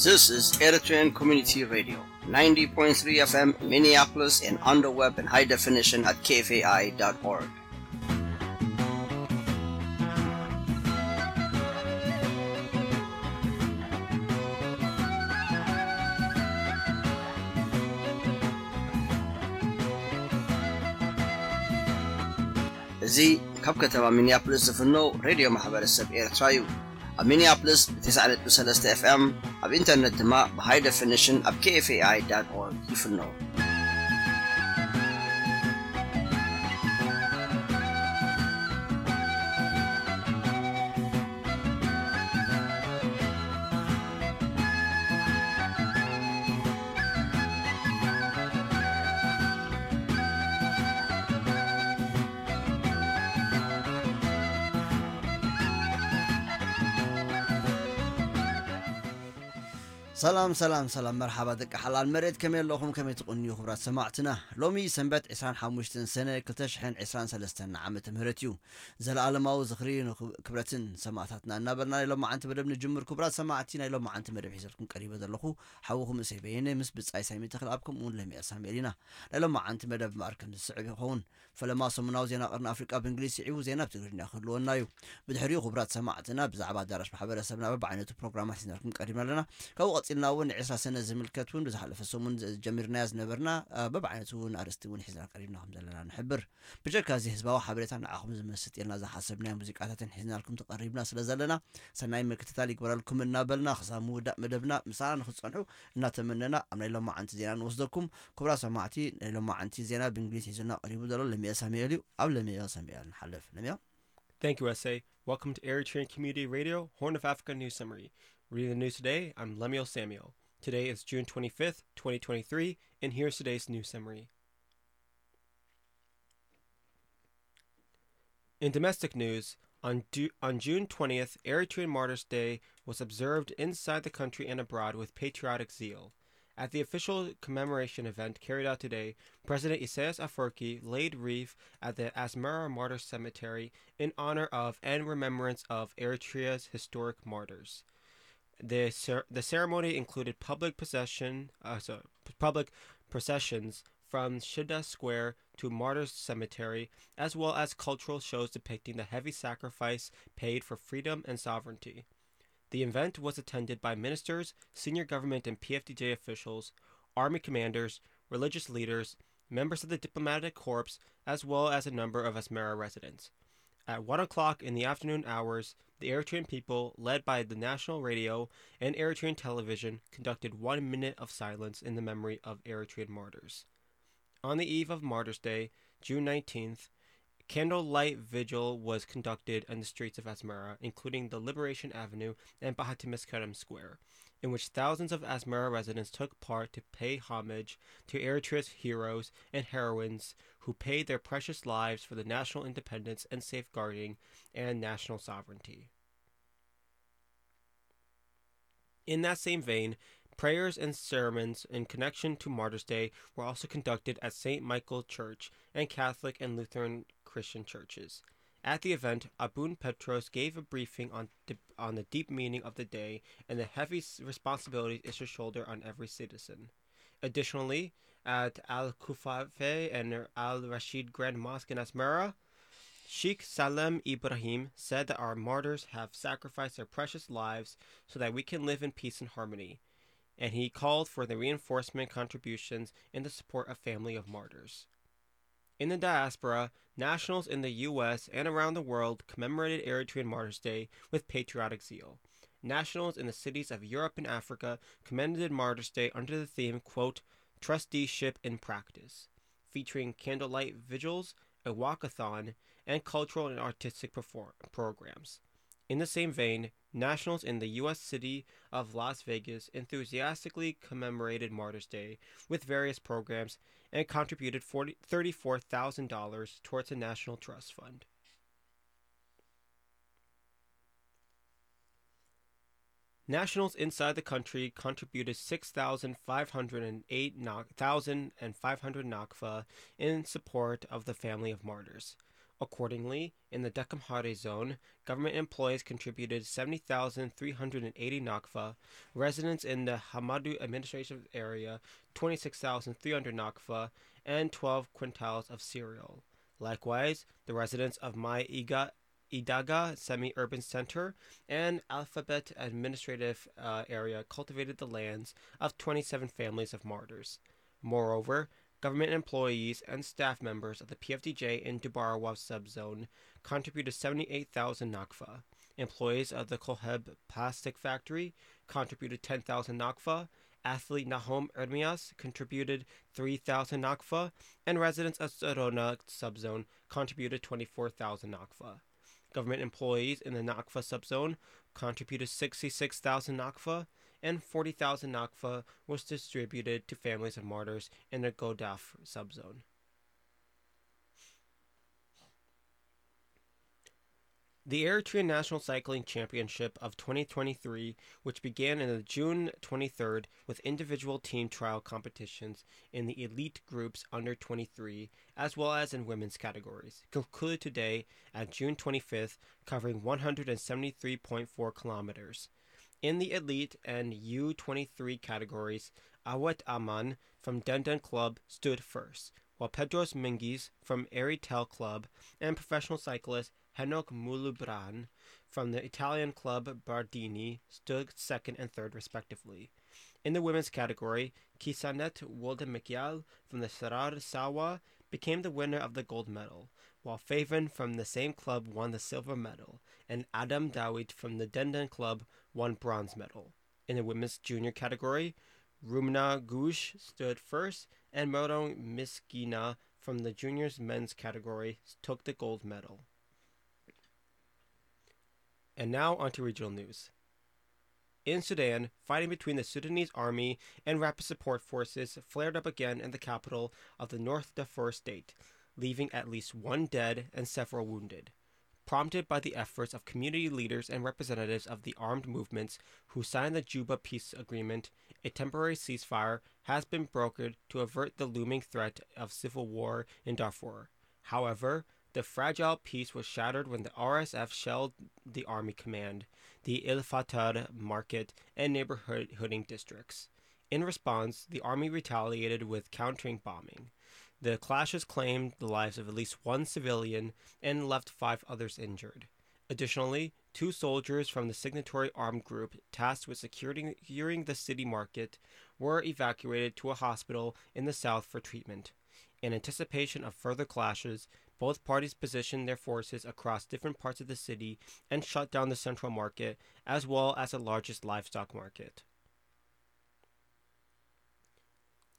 This is Eritrean Community Radio, ninety point three F M Minneapolis and on the web in high definition at K F A I dot org. እዚ ካብ ከተማ ሚኒያፖሊስ ዝፍኖ ሬድዮ ማሕበረሰብ ኤርትራ እዩ። ኣብ ሚኒያፖሊስ ብ ተስዓ ነጥቢ ሰለስተ ኤፍ ኤም፣ ኣብ ኢንተርነት ድማ ብ ሃይ ደፊኒሽን ኣብ K F A I dot org ይፍኖ። ሰላም ሰላም ሰላም፣ መርሓባ ደቂ ሓላል መሬት፣ ከመይ ኣለኹም? ከመይ ትቕንዩ ክቡራት ሰማዕትና? ሎሚ ሰንበት ዕስራን ሓሙሽተን ሰነ ክልተ ሽሕን ዕስራን ሰለስተን ዓመተ ምህረት እዩ። ዘለኣለማዊ ዝኽሪ ንክብረትን ሰማዕታትና እናበልና ናይ ሎማዓንቲ መደብ ንጅምር። ክቡራት ሰማዕቲ፣ ናይ ሎማዓንቲ መደብ ሒዘልኩም ቀሪበ ዘለኹ ሓውኹም እሰይ በየነ ምስ ብጻይ ሳሚ ተኽለኣብ ከምኡ እውን ለሚያ ሳሙኤል ኢና። ናይ ሎማዓንቲ መደብ እምበኣር ከም ዝስዕብ ይኸውን። ፈለማ ሰሙናዊ ዜና ቀርኒ ኣፍሪቃ ብእንግሊዝ ስዒቡ ዜና ብትግርኛ ክህልወና እዩ። ብድሕሪኡ ክቡራት ሰማዕትና ብዛዕባ ኣዳራሽ ማሕበረሰብና በብዓይነቱ ፕሮግራማት ሒዝናልኩም ቀሪብና ኣለና። ካብኡ ቀጺልና እውን ንዕስራ ሰነ ዝምልከት እውን ብዝሓለፈ ሰሙን ጀሚርናያ ዝነበርና በብዓይነቱ እውን ኣርእስቲ እውን ሒዝና ቀሪብና ከም ዘለና ንሕብር። ብጀካ እዚ ህዝባዊ ሓበሬታ ንዓኹም ዝመስጥ ኢልና ዝሓሰብናዮ ሙዚቃታትን ሒዝናልኩም ተቐሪብና ስለ ዘለና ሰናይ ምክትታል ይግበረልኩም እናበልና ክሳብ ምውዳእ መደብና ምሳና ንክትጸንሑ እናተመነና ኣብ ናይ ሎማዓንቲ ዜና ንወስደኩም። ክቡራት ሰማዕቲ ናይ ሎማዓንቲ ዜና ብእንግሊዝ ሒዙና ቀሪቡ ዘሎ ለሚያ ሳሙኤል እዩ። ኣብ ለሚያ ሳሙኤል ንሓልፍ። ለሚያ። Thank you, S A. Welcome to Eritrean Community Radio, Horn of Africa News Summary. Reading the news today, I'm Lemuel Samuel. Today is June twenty-fifth, twenty twenty-three, and here's today's news summary. In domestic news, on, du- on June twentieth, Eritrean Martyrs' Day was observed inside the country and abroad with patriotic zeal. At the official commemoration event carried out today, President Isaias Afwerki laid wreath at the Asmara Martyrs Cemetery in honor of and remembrance of Eritrea's historic martyrs. The, cer- the ceremony included public procession, uh, so, p- public processions from Shida Square to Martyrs Cemetery, as well as cultural shows depicting the heavy sacrifice paid for freedom and sovereignty. The event was attended by ministers, senior government and P F D J officials, army commanders, religious leaders, members of the diplomatic corps, as well as a number of Asmara residents. At one o'clock in the afternoon hours, the Eritrean people, led by the national radio and Eritrean television, conducted one minute of silence in the memory of Eritrean martyrs. On the eve of Martyrs' Day, June nineteenth, candlelight vigil was conducted in the streets of Asmara, including the Liberation Avenue and Bahatim Meskerem Square, in which thousands of Asmara residents took part to pay homage to Eritrea's heroes and heroines who paid their precious lives for the national independence and safeguarding and national sovereignty. In that same vein, prayers and sermons in connection to Martyrs' Day were also conducted at Saint Michael Church and Catholic and Lutheran Christian churches. At the event, Abun Petros gave a briefing on, di- on the deep meaning of the day and the heavy s- responsibilities it should shoulder on every citizen. Additionally, at Al Kufafe and Al Rashid Grand Mosque in Asmara, Sheikh Salem Ibrahim said that our martyrs have sacrificed their precious lives so that we can live in peace and harmony, and he called for the reinforcement contributions in the support of family of martyrs. In the diaspora, nationals in the U S and around the world commemorated Eritrean Martyrs' Day with patriotic zeal. Nationals in the cities of Europe and Africa commended Martyrs' Day under the theme, quote, "Trusteeship in Practice," featuring candlelight vigils, a walkathon, and cultural and artistic perform- programs. In the same vein, nationals in the U S city of Las Vegas enthusiastically commemorated Martyrs' Day with various programs and contributed forty, thirty-four thousand dollars towards a national trust fund. Nationals inside the country contributed six thousand five hundred and eight na- thousand and five hundred nakfa in support of the family of martyrs. Accordingly, in the Dekamhare zone, government employees contributed seventy thousand three hundred eighty nakfa, residents in the Hamadu administrative area twenty-six thousand three hundred nakfa, and twelve quintals of cereal. Likewise, the residents of Mai Iga, Idaga semi-urban center and Alphabet administrative uh, area cultivated the lands of twenty-seven families of martyrs. Moreover, government employees and staff members of the P F D J in Dubarawa subzone contributed seventy-eight thousand nakfa. Employees of the Koheb plastic factory contributed ten thousand nakfa. Athlete Nahom Ermias contributed three thousand nakfa, and residents of Sorona subzone contributed twenty-four thousand nakfa. Government employees in the Nakfa subzone contributed sixty-six thousand nakfa, and forty thousand nakfa was distributed to families of martyrs in the Godaf subzone. The Eritrean National Cycling Championship of twenty twenty-three, which began on June twenty-third with individual team trial competitions in the elite groups under twenty-three, as well as in women's categories, concluded today at June twenty-fifth, covering one hundred seventy-three point four kilometers. In the elite and U twenty-three categories, Awet Aman from Denden Club stood first, while Pedros Mingis from Eritel Club and professional cyclist Henok Mulubran from the Italian club Bardini stood second and third, respectively. In the women's category, Kisanet Wolde Mikial from the Sarar Sawa became the winner of the gold medal, while Favon from the same club won the silver medal, and Adam Dawit from the Denden club won bronze medal. In the women's junior category, Rumna Gush stood first, and Morong Miskina from the juniors men's category took the gold medal. And now onto regional news. In Sudan, fighting between the Sudanese army and rapid support forces flared up again in the capital of the North Darfur state, leaving at least one dead and several wounded. Prompted by the efforts of community leaders and representatives of the armed movements who signed the Juba peace agreement, a temporary ceasefire has been brokered to avert the looming threat of civil war in Darfur. However, the fragile peace was shattered when the R S F shelled the army command, the El Fatar market, and neighborhooding districts. In response, the army retaliated with countering bombing. The clashes claimed the lives of at least one civilian and left five others injured. Additionally, two soldiers from the signatory armed group tasked with securing, securing the city market were evacuated to a hospital in the south for treatment. In anticipation of further clashes, both parties positioned their forces across different parts of the city and shut down the central market, as well as the largest livestock market.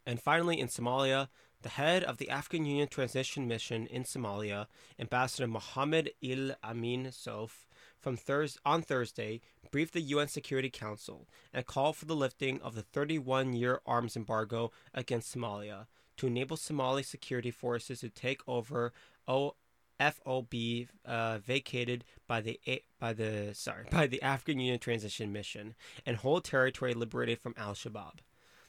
And finally, in Somalia, the head of the African Union Transition Mission in Somalia, Ambassador Mohammed El Amin Sof, from Thurs on Thursday, briefed the U N Security Council and called for the lifting of the thirty-one-year arms embargo against Somalia to enable Somali security forces to take over O F O B uh, vacated by the A- by the sorry by the African Union Transition Mission and hold territory liberated from Al Shabaab.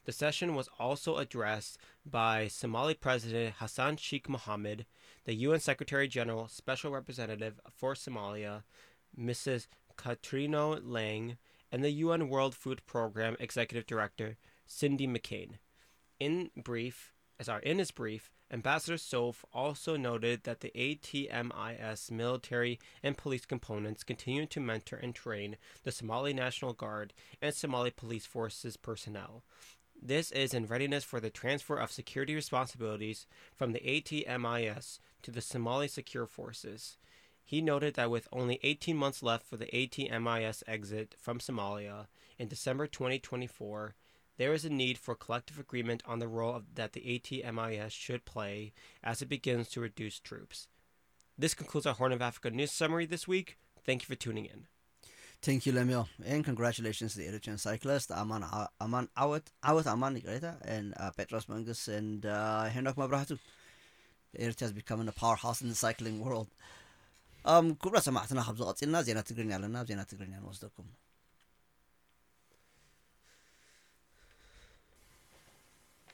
The session was also addressed by Somali President Hassan Sheikh Mohammed, the U N Secretary General Special Representative for Somalia, Missus Katrino Lang, and the U N World Food Program Executive Director Cindy McCain. In brief, sorry, in his brief, Ambassador Sof also noted that the A T M I S military and police components continue to mentor and train the Somali National Guard and Somali Police Forces personnel. This is in readiness for the transfer of security responsibilities from the A T M I S to the Somali Secure Forces. He noted that with only eighteen months left for the A T M I S exit from Somalia in December twenty twenty-four, there is a need for collective agreement on the role of, that the A T M I S should play as it begins to reduce troops. This concludes our Horn of Africa news summary this week. Thank you for tuning in. Thank you, Lemuel, and congratulations to the Eritrean cyclist Aman Aman Awet Awet Aman, ይቅሬታ, and uh, Petros Mangus and uh, Henok Mabrahtu. Eritrea is becoming a powerhouse in the cycling world. Um, ክቡራት ሰማዕትና፣ ካብዚ ቀፂልና ዜና ትግርኛ ኣለና። ኣብ ዜና ትግርኛ ንወስደኩም።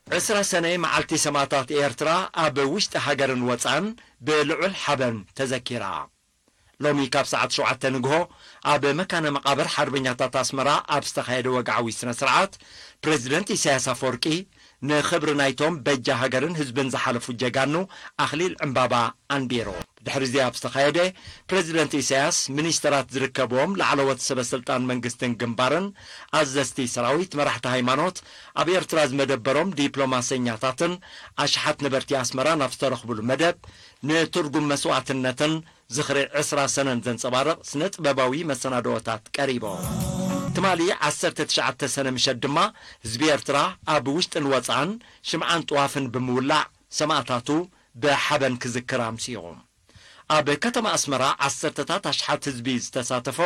ዕስራ ሰነ መዓልቲ ሰማእታት ኤርትራ ኣብ ውሽጢ ሃገርን ወጻእን ብልዑል ሓበን ተዘኪራ። ሎሚ ካብ ሰዓት ሸውዓተ ንግሆ ኣብ መካነ መቓብር ሓርበኛታት ኣስመራ ኣብ ዝተኻየደ ወግዓዊ ስነ ስርዓት፣ ፕረዚደንት ኢሳያስ ኣፈወርቂ ንኽብሪ ናይቶም በጃ ሃገርን ህዝብን ዝሓለፉ ጀጋኑ ኣኽሊል ዕምባባ ኣንቢሩ። ብድሕሪ እዚ ኣብ ዝተኻየደ፣ ፕረዚደንት ኢሳያስ፣ ሚኒስተራት ዝርከብዎም ላዕለዎት ሰበ ስልጣን መንግስትን ግንባርን፣ ኣዘዝቲ ሰራዊት፣ መራሕቲ ሃይማኖት፣ ኣብ ኤርትራ ዝመደበሮም ዲፕሎማሰኛታትን ኣሽሓት ነበርቲ ኣስመራ ናብ ዝተረኽብሉ መደብ፣ ንትርጉም መስዋእትነትን ዝኽሪ ዕስራ ሰነን ዘንጸባርቕ ስነ ጥበባዊ መሰናድኦታት ቀሪቦም። ትማሊ ዓሰርተ ትሽዓተ ሰነ ምሸት ድማ ህዝቢ ኤርትራ ኣብ ውሽጥን ወጻእን ሽምዓን ጥዋፍን ብምውላዕ ሰማእታቱ ብሓበን ክዝክር ኣምሲኹ። ኣብ ከተማ ኣስመራ ዓሰርተታት ኣሽሓት ህዝቢ ዝተሳተፎ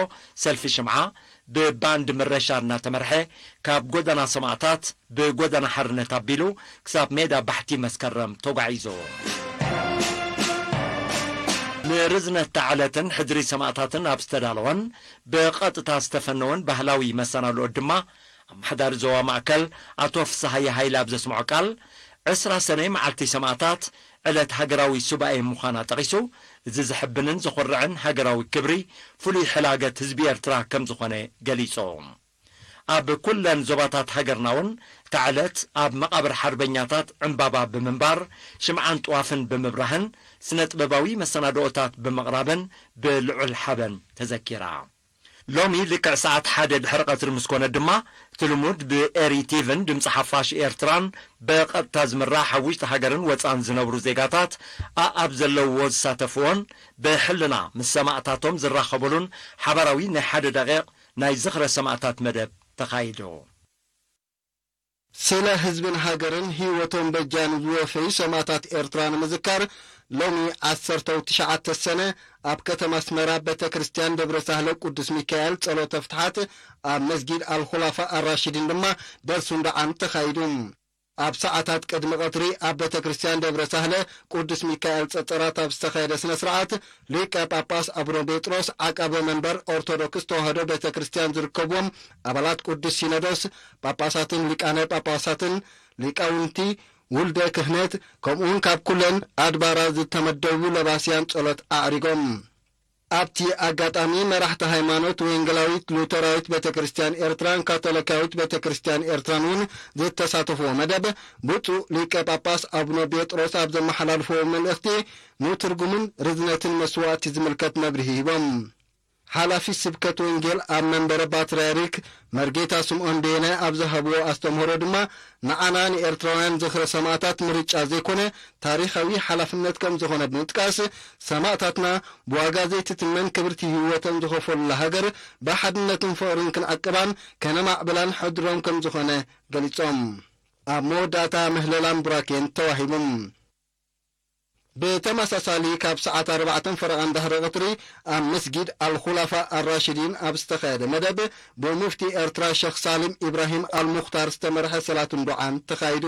ሰልፊ ሽምዓ ብባንድ መረሻ እናተመርሐ ካብ ጎደና ሰማእታት ብጎደና ሓርነት ኣቢሉ ክሳብ ሜዳ ባሕቲ መስከረም ተጓዒዙ። ንርዝነት እታ ዕለትን ሕድሪ ሰማእታትን ኣብ ዝተዳለወን ብቐጥታ ዝተፈነወን ባህላዊ መሰናድኦ ድማ ኣመሓዳሪ ዞባ ማእከል ኣቶ ፍስሃየ ሃይለ ኣብ ዘስምዖ ቃል፣ ዕስራ ሰነ መዓልቲ ሰማእታት ዕለት ሃገራዊ ሱባኤ ምዃና ጠቒሱ፣ እዚ ዘሕብንን ዘኹርዕን ሃገራዊ ክብሪ ፍሉይ ሕላገት ህዝቢ ኤርትራ ከም ዝኾነ ገሊጹ። ኣብ ኩለን ዞባታት ሃገርና እውን እታ ዕለት ኣብ መቓብር ሓርበኛታት ዕምባባ ብምንባር፣ ሽምዓን ጥዋፍን ብምብራህን፣ ስነ ጥበባዊ መሰናድኦታት ብምቕራብን ብልዑል ሓበን ተዘኪራ። ሎሚ ልክዕ ሰዓት ሓደ ድሕሪ ቀትሪ ምስ ኮነ ድማ፣ እቲ ልሙድ ብኤሪ ቲቪን ድምፂ ሓፋሽ ኤርትራን ብቐጥታ ዝምራሕ ኣብ ውሽጢ ሃገርን ወፃን ዝነብሩ ዜጋታት ኣኣብ ዘለውዎ ዝሳተፍዎን ብሕልና ምስ ሰማእታቶም ዝራኸብሉን ሓባራዊ ናይ ሓደ ደቂቕ ናይ ዝኽረ ሰማእታት መደብ ተኻይዱ። ስለ ህዝብን ሃገርን ህይወቶም በጃ ንዝወፈዩ ሰማእታት ኤርትራ ንምዝካር፣ ሎሚ ዓሰርተ ትሽዓተ ሰነ ኣብ ከተማ ኣስመራ ቤተ ክርስቲያን ደብረ ሳህለ ቅዱስ ሚካኤል ጸሎተ ፍትሓት፣ ኣብ መስጊድ ኣልኹላፋ ኣራሽዲን ድማ ደርሱን ደዓን ተኻይዱ። ኣብ ሰዓታት ቅድሚ ቀትሪ ኣብ ቤተ ክርስቲያን ደብረ ሳህለ ቅዱስ ሚካኤል ጸጸራት ኣብ ዝተኻየደ ስነ ስርዓት፣ ሊቀ ጳጳስ ኣቡነ ጴጥሮስ ዓቃበ መንበር ኦርቶዶክስ ተዋህዶ ቤተ ክርስቲያን ዝርከብዎም ኣባላት ቅዱስ ሲኖዶስ፣ ጳጳሳትን ሊቃነ ጳጳሳትን፣ ሊቃውንቲ፣ ውልደ ክህነት፣ ከምኡውን ካብ ኩለን ኣድባራት ዝተመደቡ ለባስያን ጸሎት ኣዕሪጎም። ኣብቲ ኣጋጣሚ መራሕቲ ሃይማኖት ወንጌላዊት ሉተራዊት ቤተ ክርስቲያን ኤርትራን ካቶሊካዊት ቤተ ክርስቲያን ኤርትራን እውን ዝተሳተፍዎ መደብ፣ ብፁዕ ሊቀ ጳጳስ ኣቡነ ጴጥሮስ ኣብ ዘመሓላልፍዎ መልእኽቲ ንትርጉምን ርዝነትን መስዋእቲ ዝምልከት መብርሂ ሂቦም። ሓላፊ ስብከት ወንጌል ኣብ መንበረ ፓትርያርክ መርጌታ ስምዖን በየነ ኣብ ዝሃብዎ ኣስተምህሮ ድማ፣ ንዓና ንኤርትራውያን ዝኽሪ ሰማእታት ምርጫ ዘይኮነ፣ ታሪኻዊ ሓላፍነት ከም ዝኾነ ብምጥቃስ፣ ሰማእታትና ብዋጋ ዘይትትመን ክብርቲ ህይወቶም ዝኸፈሉላ ሃገር ብሓድነትን ፍቕርን ክንዕቅባን ከነማዕብላን ሕድሮም ከም ዝኾነ ገሊጾም። ኣብ መወዳእታ ምህለላን ቡራኬን ተዋሂቡም። ብተመሳሳሊ፣ ካብ ሰዓት ኣርባዕተን ፈረቓን ድሕሪ ቀትሪ ኣብ መስጊድ ኣልኹላፋ ኣራሽዲን ኣብ ዝተኻየደ መደብ፣ ብሙፍቲ ኤርትራ ሸኽ ሳሊም ኢብራሂም ኣልሙኽታር ዝተመርሐ ሰላትን ዱዓን ተኻይዱ።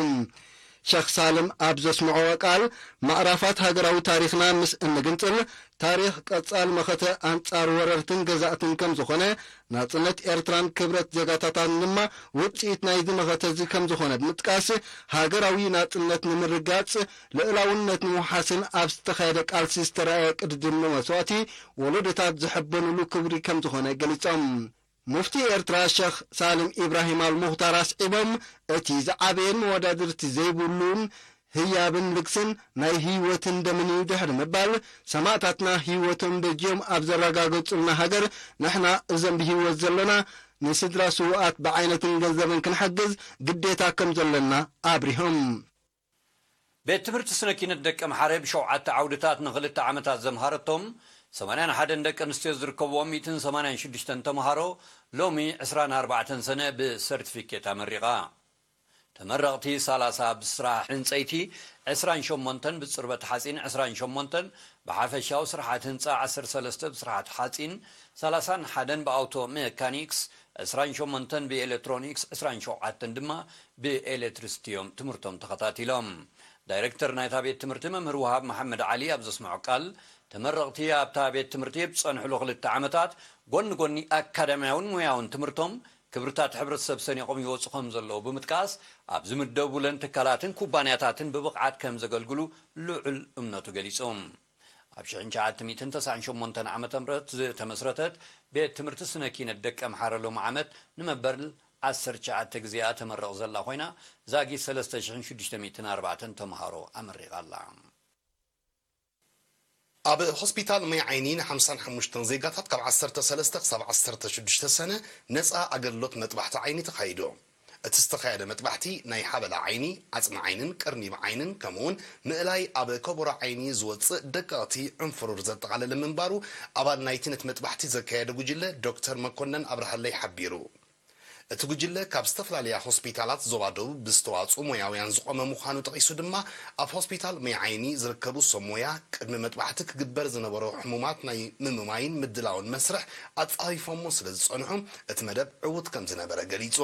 ሸኽ ሳልም ኣብ ዘስምዕዎ ቃል፣ ማዕራፋት ሃገራዊ ታሪኽና ምስ እንግንጽል፣ ታሪኽ ቀጻሊ መኸተ ኣንጻር ወረርትን ገዛእትን ከም ዝኾነ፣ ናጽነት ኤርትራን ክብረት ዜጋታታን ድማ ውጽኢት ናይዚ መኸተ እዚ ከም ዝኾነ ብምጥቃስ፣ ሃገራዊ ናጽነት ንምርጋጽ፣ ልእላውነት ንምውሓስን ኣብ ዝተኻየደ ቃልሲ ዝተረኣየ ቅድድም መስዋእቲ፣ ወለዶታት ዝሕበኑሉ ክብሪ ከም ዝኾነ ገሊጾም። ሙፍቲ ኤርትራ ሸኽ ሳልም ኢብራሂም ኣልሙኽታር ኣስዒቦም፣ እቲ ዝዓበየን መወዳድርቲ ዘይብሉን ህያብን ልግስን ናይ ህይወትን ደምን እዩ ድሕሪ ምባል፣ ሰማእታትና ህይወቶም በጅዮም ኣብ ዘረጋገጹልና ሃገር፣ ንሕና እዞም ብህይወት ዘሎና ንስድራ ስዉኣት ብዓይነትን ገንዘብን ክንሕግዝ ግዴታ ከም ዘሎና ኣብሪሆም። ቤት ትምህርቲ ስነ ኪነት ደቀምሓረ ብሸውዓተ ዓውድታት ንኽልተ ዓመታት ዘምሃረቶም ሰማንያን ሓደን ደቂ ኣንስትዮ ዝርከብዎም ሚእትን ሰማንያን ሽዱሽተን ተምሃሮ ሎሚ ዕስራን ኣርባዕተን ሰነ ብሰርቲፊኬት ኣመሪቓ። ተመረቕቲ ሰላሳ ብስራሕ ዕንጸይቲ፣ ዕስራን ሸሞንተን ብጽርበት ሓጺን፣ ዕስራን ሸሞንተን ብሓፈሻዊ ስርሓት ህንጻ፣ ዓሰርተ ሰለስተ ብስርሓት ሓጺን፣ ሰላሳን ሓደን ብኣውቶ ሜካኒክስ፣ ዕስራን ሸሞንተን ብኤሌክትሮኒክስ፣ ዕስራን ሸውዓተን ድማ ብኤሌክትሪሲቲ እዮም ትምህርቶም ተኸታቲሎም። ዳይሬክተር ናይታ ቤት ትምህርቲ መምህር ውሃብ መሓመድ ዓሊ ኣብ ዘስምዖ ቃል፣ ተመረቕቲ ኣብታ ቤት ትምህርቲ ብዝጸንሕሉ ክልተ ዓመታት ጎኒ ጎኒ ኣካዳሚያውን ሞያውን ትምህርቶም ክብርታት ሕብረተሰብ ሰኒቖም ይወፁ ከም ዘለዉ ብምጥቃስ፣ ኣብ ዝምደቡለን ትካላትን ኩባንያታትን ብብቕዓት ከም ዘገልግሉ ልዑል እምነቱ ገሊጹ። ኣብ ሽሕን ትሽዓተ ሚእትን ተስዓን ሸሞንተን ዓመተ ምህረት ዝተመስረተት ቤት ትምህርቲ ስነ ኪነት ደቀ ኣምሓረ ሎሚ ዓመት ንመበል ዓሰርተ ትሽዓተ ግዜኣ ተመርቕ ዘላ ኮይና፣ ዛጊት ሰለስተ ሽሕን ሽዱሽተ ሚእትን ኣርባዕተን ተምሃሮ ኣመሪቓ ኣላ። ኣብ ሆስፒታል ማይ ዓይኒ ን ሓምሳን ሓሙሽተን ዜጋታት ካብ ዓሰርተ ሰለስተ ክሳብ ዓሰርተ ሽዱሽተ ሰነ ነጻ ኣገልግሎት መጥባሕቲ ዓይኒ ተኻይዱ። እቲ ዝተኻየደ መጥባሕቲ ናይ ሓበላ ዓይኒ፣ ዓጽሚ ዓይንን ቅርኒብ ዓይንን ከምኡውን ምእላይ ኣብ ከቦራ ዓይኒ ዝወጽእ ደቀቕቲ ዕንፍሩር ዘጠቓለለ ምንባሩ ኣባል ናይቲ ነቲ መጥባሕቲ ዘካየደ ጉጅለ ዶክተር መኮነን ኣብርሃለይ ሓቢሩ። እቲ ጉጅለ ካብ ዝተፈላለያ ሆስፒታላት ዞባ ደቡብ ብዝተዋጽኡ ሞያውያን ዝቖመ ምዃኑ ጠቒሱ ድማ፣ ኣብ ሆስፒታል ማይ ዓይኒ ዝርከቡ ሰብ ሞያ ቅድሚ መጥባሕቲ ክግበር ዝነበሮ ሕሙማት ናይ ምምማይን ምድላውን መስርሕ ኣጻፊፎሞ ስለ ዝጸንሑ፣ እቲ መደብ ዕዉት ከም ዝነበረ ገሊጹ።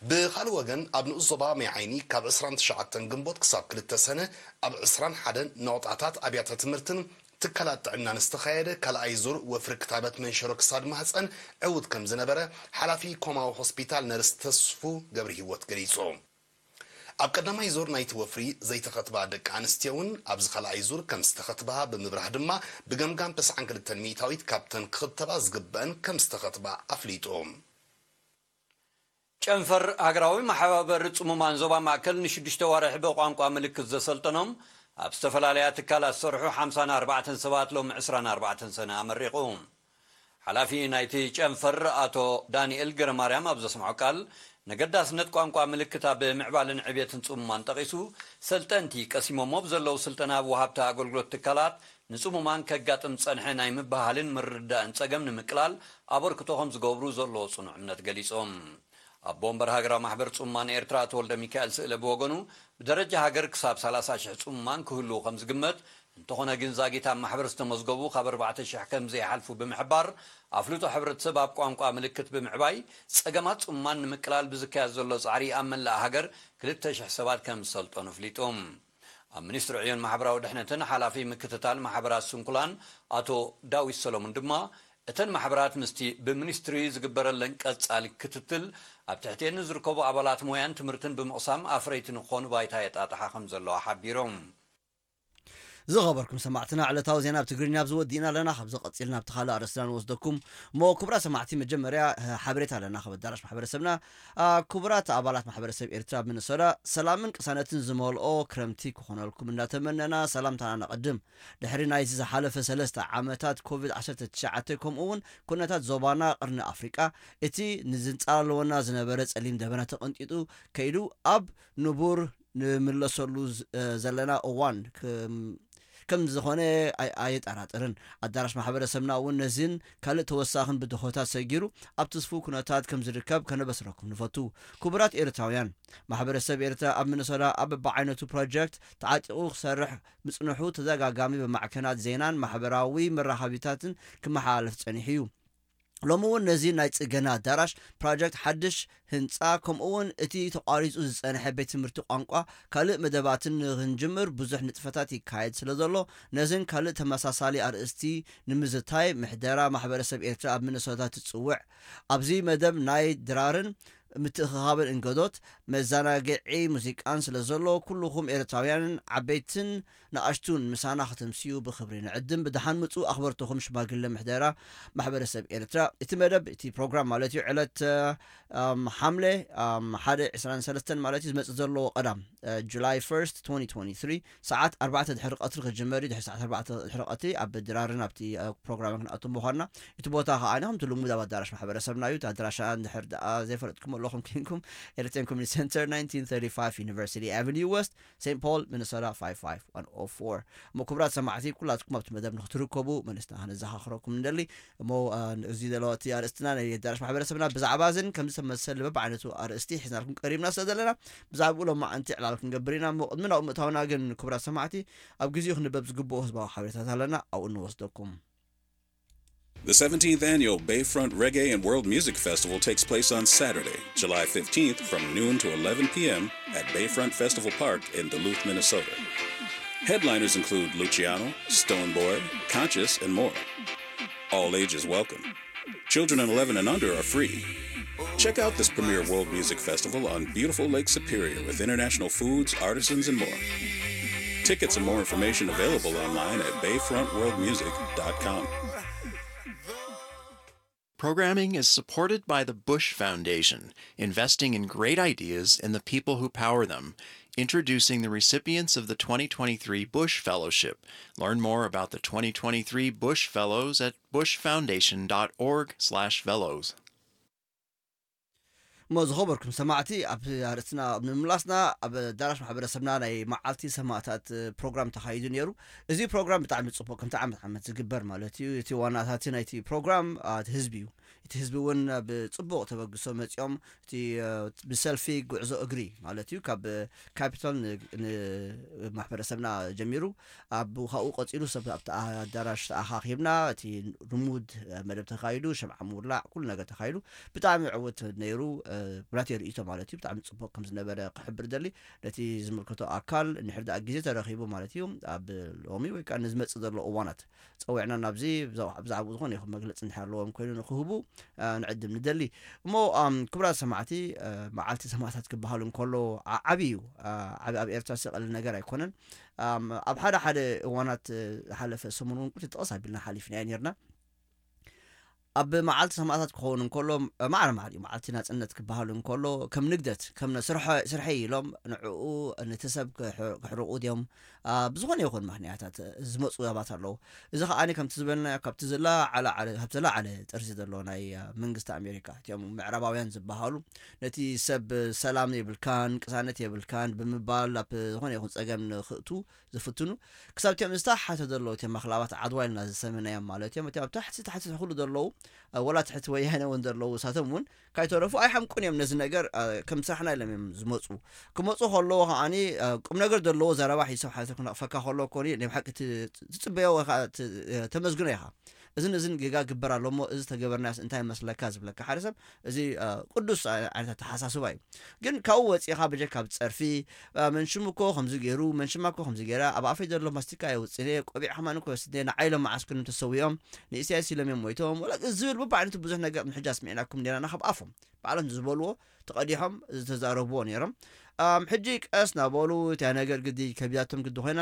ብኻልእ ወገን፣ ኣብ ንኡስ ዞባ ማይ ዓይኒ ካብ ዕስራን ትሽዓተን ግንቦት ክሳብ ክልተ ሰነ ኣብ ዕስራን ሓደን ነቑጣታት ኣብያተ ትምህርትን ትካላት ጥዕናን ዝተኻየደ ካልኣይ ዙር ወፍሪ ክታበት መንሸሮ ክሳድ ማህፀን ዕዉት ከም ዝነበረ ሓላፊ ኮማዊ ሆስፒታል ነርስ ተስፉ ገብረ ህይወት ገሊጹ። ኣብ ቀዳማይ ዙር ናይቲ ወፍሪ ዘይተኸትባ ደቂ ኣንስትዮ እውን ኣብዚ ካልኣይ ዙር ከም ዝተኸትባ ብምብራህ ድማ ብገምጋም ተስዓን ክልተን ሚእታዊት ካብተን ክኽተባ ዝግበአን ከም ዝተኸትባ ኣፍሊጡ። ጨንፈር ሃገራዊ መሓባበሪ ጽሙማን ዞባ ማእከል ንሽዱሽተ ዋርሒ ብቋንቋ ምልክት ዘሰልጠኖም ኣብ ዝተፈላለያ ትካላት ዝሰርሑ ሓምሳን ኣርባዕተን ሰባት ሎም ዕስራን ኣርባዕተን ሰነ ኣመሪቑ። ሓላፊ ናይቲ ጨንፈር ኣቶ ዳንኤል ገረማርያም ኣብ ዘስምዖ ቃል፣ ነገዳስነት ቋንቋ ምልክት ኣብ ምዕባልን ዕብየትን ጽሙማን ጠቒሱ፣ ሰልጠንቲ ቀሲሞሞ ብዘለዉ ስልጠና ኣብ ወሃብቲ ኣገልግሎት ትካላት ንጽሙማን ከጋጥም ዝጸንሐ ናይ ምብህሃልን ምርድዳእን ጸገም ንምቅላል ኣበርክቶ ከም ዝገብሩ ዘለዎ ጽኑዕ እምነት ገሊጾም። ኣቦ ወንበር ሃገራዊ ማሕበር ጽሙማን ኤርትራ ኣቶ ወልደ ሚካኤል ስእለ ብወገኑ፣ ብደረጃ ሃገር ክሳብ ሰላሳ ሽሕ ጽሙማን ክህልዉ ከም ዝግመት፣ እንተኾነ ግን ዛጊት ኣብ ማሕበር ዝተመዝገቡ ካብ ኣርባዕተ ሽሕ ከም ዘይሓልፉ ብምሕባር፣ ኣፍልጦ ሕብረተሰብ ኣብ ቋንቋ ምልክት ብምዕባይ ጸገማት ጽሙማን ንምቅላል ብዝካየድ ዘሎ ጻዕሪ ኣብ መላእ ሃገር ክልተ ሽሕ ሰባት ከም ዝሰልጠኑ ኣፍሊጡ። ኣብ ሚኒስትሪ ዕዮን ማሕበራዊ ድሕነትን ሓላፊ ምክትታል ማሕበራት ስንኩላን ኣቶ ዳዊት ሰሎሙን ድማ፣ እተን ማሕበራት ምስቲ ብሚኒስትሪ ዝግበረለን ቀጻሊ ክትትል ኣብ ትሕቲኤን ንዝርከቡ ኣባላት ሞያን ትምህርትን ብምቕሳም ኣፍረይቲ ንክኾኑ ባይታ የጣጥሓ ከም ዘለዋ ሓቢሮም። ዝኸበርኩም ሰማዕትና፣ ዕለታዊ ዜና ኣብ ትግርኛ ኣብዚ ወዲእና ኣለና። ካብዚ ቀጺልና ኣብቲ ካልእ ኣርእስትና ንወስደኩም። እሞ ክቡራት ሰማዕቲ፣ መጀመርያ፣ እ፣ ሓበሬታ ኣለና ካብ ኣዳራሽ ማሕበረሰብና። ኣ፣ ክቡራት ኣባላት ማሕበረሰብ ኤርትራ ኣብ ሚኒሶታ፣ ሰላምን ቅሳነትን ዝመልኦ ክረምቲ ክኾነልኩም እንዳተመነና፣ ሰላምታና ነቐድም። ድሕሪ ናይዚ ዝሓለፈ ሰለስተ ዓመታት ኮቪድ ዓሰርተ ትሽዓተ፣ ከምኡ እውን ኩነታት ዞባና፣ ቀርኒ ኣፍሪቃ፣ እቲ ንዝንጻለወና ዝነበረ ጸሊም ደበና ተቐንጢጡ ከይዱ ኣብ ንቡር ንምለሰሉ ዝ-፣ እ፣ ዘለና እዋን ከም፣ ከም ዝኾነ ኣይ-፣ ኣየጠራጥርን። ኣዳራሽ ማሕበረሰብና እውን ነዚን ካልእ ተወሳኽን ብድሆታት ሰጊሩ ኣብ ትስፉው ኩነታት ከም ዝርከብ ከነበስረኩም ንፈቱ። ክቡራት ኤርትራውያን፣ ማሕበረሰብ ኤርትራ ኣብ ሚኒሶታ ኣብ በብዓይነቱ ፕሮጀክት ተዓጢቑ ክሰርሕ ምጽንሑ ተደጋጋሚ ብማዕከናት ዜናን ማሕበራዊ መራኸቢታትን ክመሓላለፍ ጸኒሑ እዩ። ሎሚ እውን ነዚ ናይ ጽገና ኣዳራሽ ፕሮጀክት ሓድሽ ህንጻ፣ ከምኡ እውን እቲ ተቋሪጹ ዝጸንሐ ቤት ትምህርቲ ቋንቋ ካልእ መደባትን ንኽንጅምር ብዙሕ ንጥፈታት ይካየድ ስለ ዘሎ፣ ነዝን ካልእ ተመሳሳሊ ኣርእስቲ ንምዝታይ ምሕደራ ማሕበረሰብ ኤርትራ ኣብ ሚኒሶታ ትጽውዕ። ኣብዚ መደብ ናይ ድራርን ምትእኽኻብን እንገዶት፣ መዘናግዒ ሙዚቃን ስለ ዘሎ፣ ኩልኹም ኤርትራውያንን ዓበይትን ንኣሽቱን ምሳና ከተምስዩ ብኽብሪ ንዕድም። ብደሓን ምጹ ኣኽበርትኹም ሽማግለ ምሕደራ ማሕበረሰብ ኤርትራ። እቲ መደብ፣ እቲ ፕሮግራም ማለት እዩ፣ ዕለት፣ እ፣ እም፣ ሓምለ፣ እም፣ ሓደ ዕስራን ሰለስተን ማለት እዩ፣ ዝመጽእ ዘሎ ቀዳም፣ እ፣ ጁላይ ፈርስት፣ ትወንቲ ትወንቲ ትሪ፣ ሰዓት ኣርባዕተ ድሕሪ ቀትሪ ክጅመር እዩ። ድሕሪ ሰዓት ኣርባዕተ ድሕሪ ቀትሪ ኣብ ድራርን ኣብቲ፣ እ፣ ፕሮግራም ክንኣቱ ምዃንና። እቲ ቦታ ከኣ ከምቲ ልሙድ ኣብ ኣዳራሽ ማሕበረሰብና እዩ። እቲ ኣድራሻ እንድሕር ደኣ ዘይፈለጥኩም ኣለኹም ኮንኩም፣ ኤርትራን ኮሚኒቲ ሴንተር፣ ናይንቲን ተርቲ ፋይቭ ዩኒቨርሲቲ ኣቨኒ ወስት፣ ሴንት ፖል፣ ሚኒሶታ ፋይቭ ፋይቭ ዋን ኦ ፎር። እሞ ክቡራት ሰማዕቲ፣ ኩላትኩም ኣብቲ መደብ ንክትርከቡ መለስና ከነዘኻኽረኩም ንደሊ። እሞ፣ አ፣ እዚ ዘሎ እቲ ኣርእስትና ናይ ኣዳራሽ ማሕበረሰብና ብዛዕባ እዝን ከምዚ ተመሰል በብዓይነቱ ኣርእስቲ ሒዝናልኩም ቀሪብና ስለ ዘለና፣ ብዛዕባኡ ሎማዓንቲ ዕላል ክንገብር ኢና። እሞ ቅድሚ ናብኡ ምእታውና ግን ክቡራት ሰማዕቲ፣ ኣብ ግዜኡ ክንበብ ዝግብኦ ህዝባዊ ሓበሬታት ኣለና፣ ኣብኡ ንወስደኩም። The seventeenth annual Bayfront Reggae and World Music Festival takes place on Saturday, July fifteenth, from noon to eleven p m at Bayfront Festival Park in Duluth, Minnesota. Headliners include Luciano, Stonebwoy, Conscious, and more. All ages welcome. Children of eleven and under are free. Check out this premier world music festival on beautiful Lake Superior with international foods, artisans, and more. Tickets and more information available online at bayfrontworldmusic.com. Programming is supported by the Bush Foundation, investing in great ideas and the people who power them. Introducing the recipients of the twenty twenty-three Bush Fellowship. Learn more about the twenty twenty-three Bush Fellows at bushfoundation.org/fellows. እሞ ዝኸበርኩም ሰማዕቲ፣ ኣብ ኣርእስትና ኣብ ምምላስና፣ ኣብ ኣዳራሽ ማሕበረሰብና ናይ መዓልቲ ሰማእታት ፕሮግራም ተኻይዱ ነይሩ። እዚ ፕሮግራም ብጣዕሚ ጽቡቕ፣ ከምቲ ዓመት ዓመት ዝግበር ማለት እዩ። እቲ ዋናታቲ ናይቲ ፕሮግራም እቲ ህዝቢ እዩ። እቲ ህዝቢ እውን ብጽቡቕ ተበግሶ መጺኦም፣ እቲ ብሰልፊ ጉዕዞ እግሪ ማለት እዩ፣ ካብ ካፒቶል ንማሕበረሰብና ጀሚሩ፣ ኣብ ካብኡ ቀጺሉ ሰብ ኣብቲ ኣዳራሽ ተኣኻኺብና፣ እቲ ልሙድ መደብ ተኻይዱ፣ ሸምዓ ምውላዕ፣ ኩሉ ነገር ተኻይዱ። ብጣዕሚ ዕውት ነይሩ። ብናተይ ርእይቶ ማለት እዩ፣ ብጣዕሚ ጽቡቕ ከም ዝነበረ ክሕብር ደሊ። ነቲ ዝምልከቶ ኣካል እንድሕር ደኣ ግዜ ተረኺቡ ማለት እዩ፣ ኣብ ሎሚ ወይ ከዓ ንዝመጽእ ዘሎ እዋናት ጸዊዕና ናብዚ ብዛዕባኡ ዝኾነ ይኹን መግለጺ እንድሕር ኣለዎም ኮይኑ ንክህቡ ንዕድም ንደሊ። እሞ ክቡራት ሰማዕቲ፣ መዓልቲ ሰማእታት ክበሃል እንከሎ ዓብዪ እዩ። ዓብ ኣብ ኤርትራ ዝቐልል ነገር ኣይኮነን። ኣብ ሓደ ሓደ እዋናት ዝሓለፈ ሰሙን እውን ቁርጢ ጠቐስ ኣቢልና ሓሊፍናዮ ነርና። ኣብ መዓልቲ ሰማእታት ክኸውን እንከሎ፣ ማዕረ ማዕሪኡ መዓልቲ ናጽነት ክበሃል እንከሎ፣ ከም ንግደት ከም ስርሐይ ኢሎም ንዕኡ፣ ነቲ ሰብ ክሕርቑ ድዮም? ብዝኾነ ይኹን ምኽንያታት ዝመፁ ሰባት ኣለዉ። እዚ ከዓኒ ከምቲ ዝበልና ካብቲ ዝለዓለ ጥርዚ ዘሎ ናይ መንግስቲ ኣሜሪካ፣ እቲኦም ምዕራባውያን ዝበሃሉ፣ ነቲ ሰብ ሰላም የብልካን ቅሳነት የብልካን ብምባል ኣብ ዝኾነ ይኹን ፀገም ንክእቱ ዝፍትኑ፣ ክሳብ እቲኦም ዝተሓተ ዘለዉ እቲኦም ኣኽላባት ዓድዋ ኢልና ዝሰመናዮም ማለት እዮም። እቲኦም ኣብ ታሕቲ ታሕቲ ትሕሉ ዘለዉ፣ ወላ ትሕቲ ወያነ እውን ዘለዉ፣ እሳቶም እውን ካይተረፉ ኣይሓምቁን እዮም። ነዚ ነገር ከም ስራሕና ኢሎም እዮም ዝመፁ። ክመፁ ከለዉ ከዓኒ ቁም ነገር ዘለዎ ዘረባ ሒሶም ሓሊፎም ክነቕፈካ ከለዉ ኮኒ ናይ ብሓቂ ትፅበዮ ወይ ከዓ ተመስግኖ ኢኻ። እዝን እዝን ጌጋ ግበር ኣሎ እሞ እዚ ተገበርናስ እንታይ መስለካ ዝብለካ ሓደ ሰብ፣ እዚ ቅዱስ ዓይነት ኣተሓሳስባ እዩ። ግን ካብኡ ወፂኻ ብጀካ ብፀርፊ፣ መንሽም እኮ ከምዚ ገይሩ፣ መንሽማ እኮ ከምዚ ገይራ፣ ኣብ ኣፈይ ዘሎ ማስቲካ የውፅእነ፣ ቆቢዕ ከማን እኮ የወስድነ፣ ንዓይ ኢሎም መዓስክርም ተሰዊኦም፣ ንኢሳያስ ኢሎም እዮም ሞይቶም ወላ ዝብል በብዓይነቱ ብዙሕ ነገር ምሕጃ ስሚዕናኩም ኔራና ካብ ኣፎም ባዕሎም ዝበልዎ ተቐዲሖም ዝተዛረብዎ ነይሮም። ሕጂ ቀስ ናበሉ እቲያ ነገር ግዲ ከቢዳቶም ግዲ ኮይና፣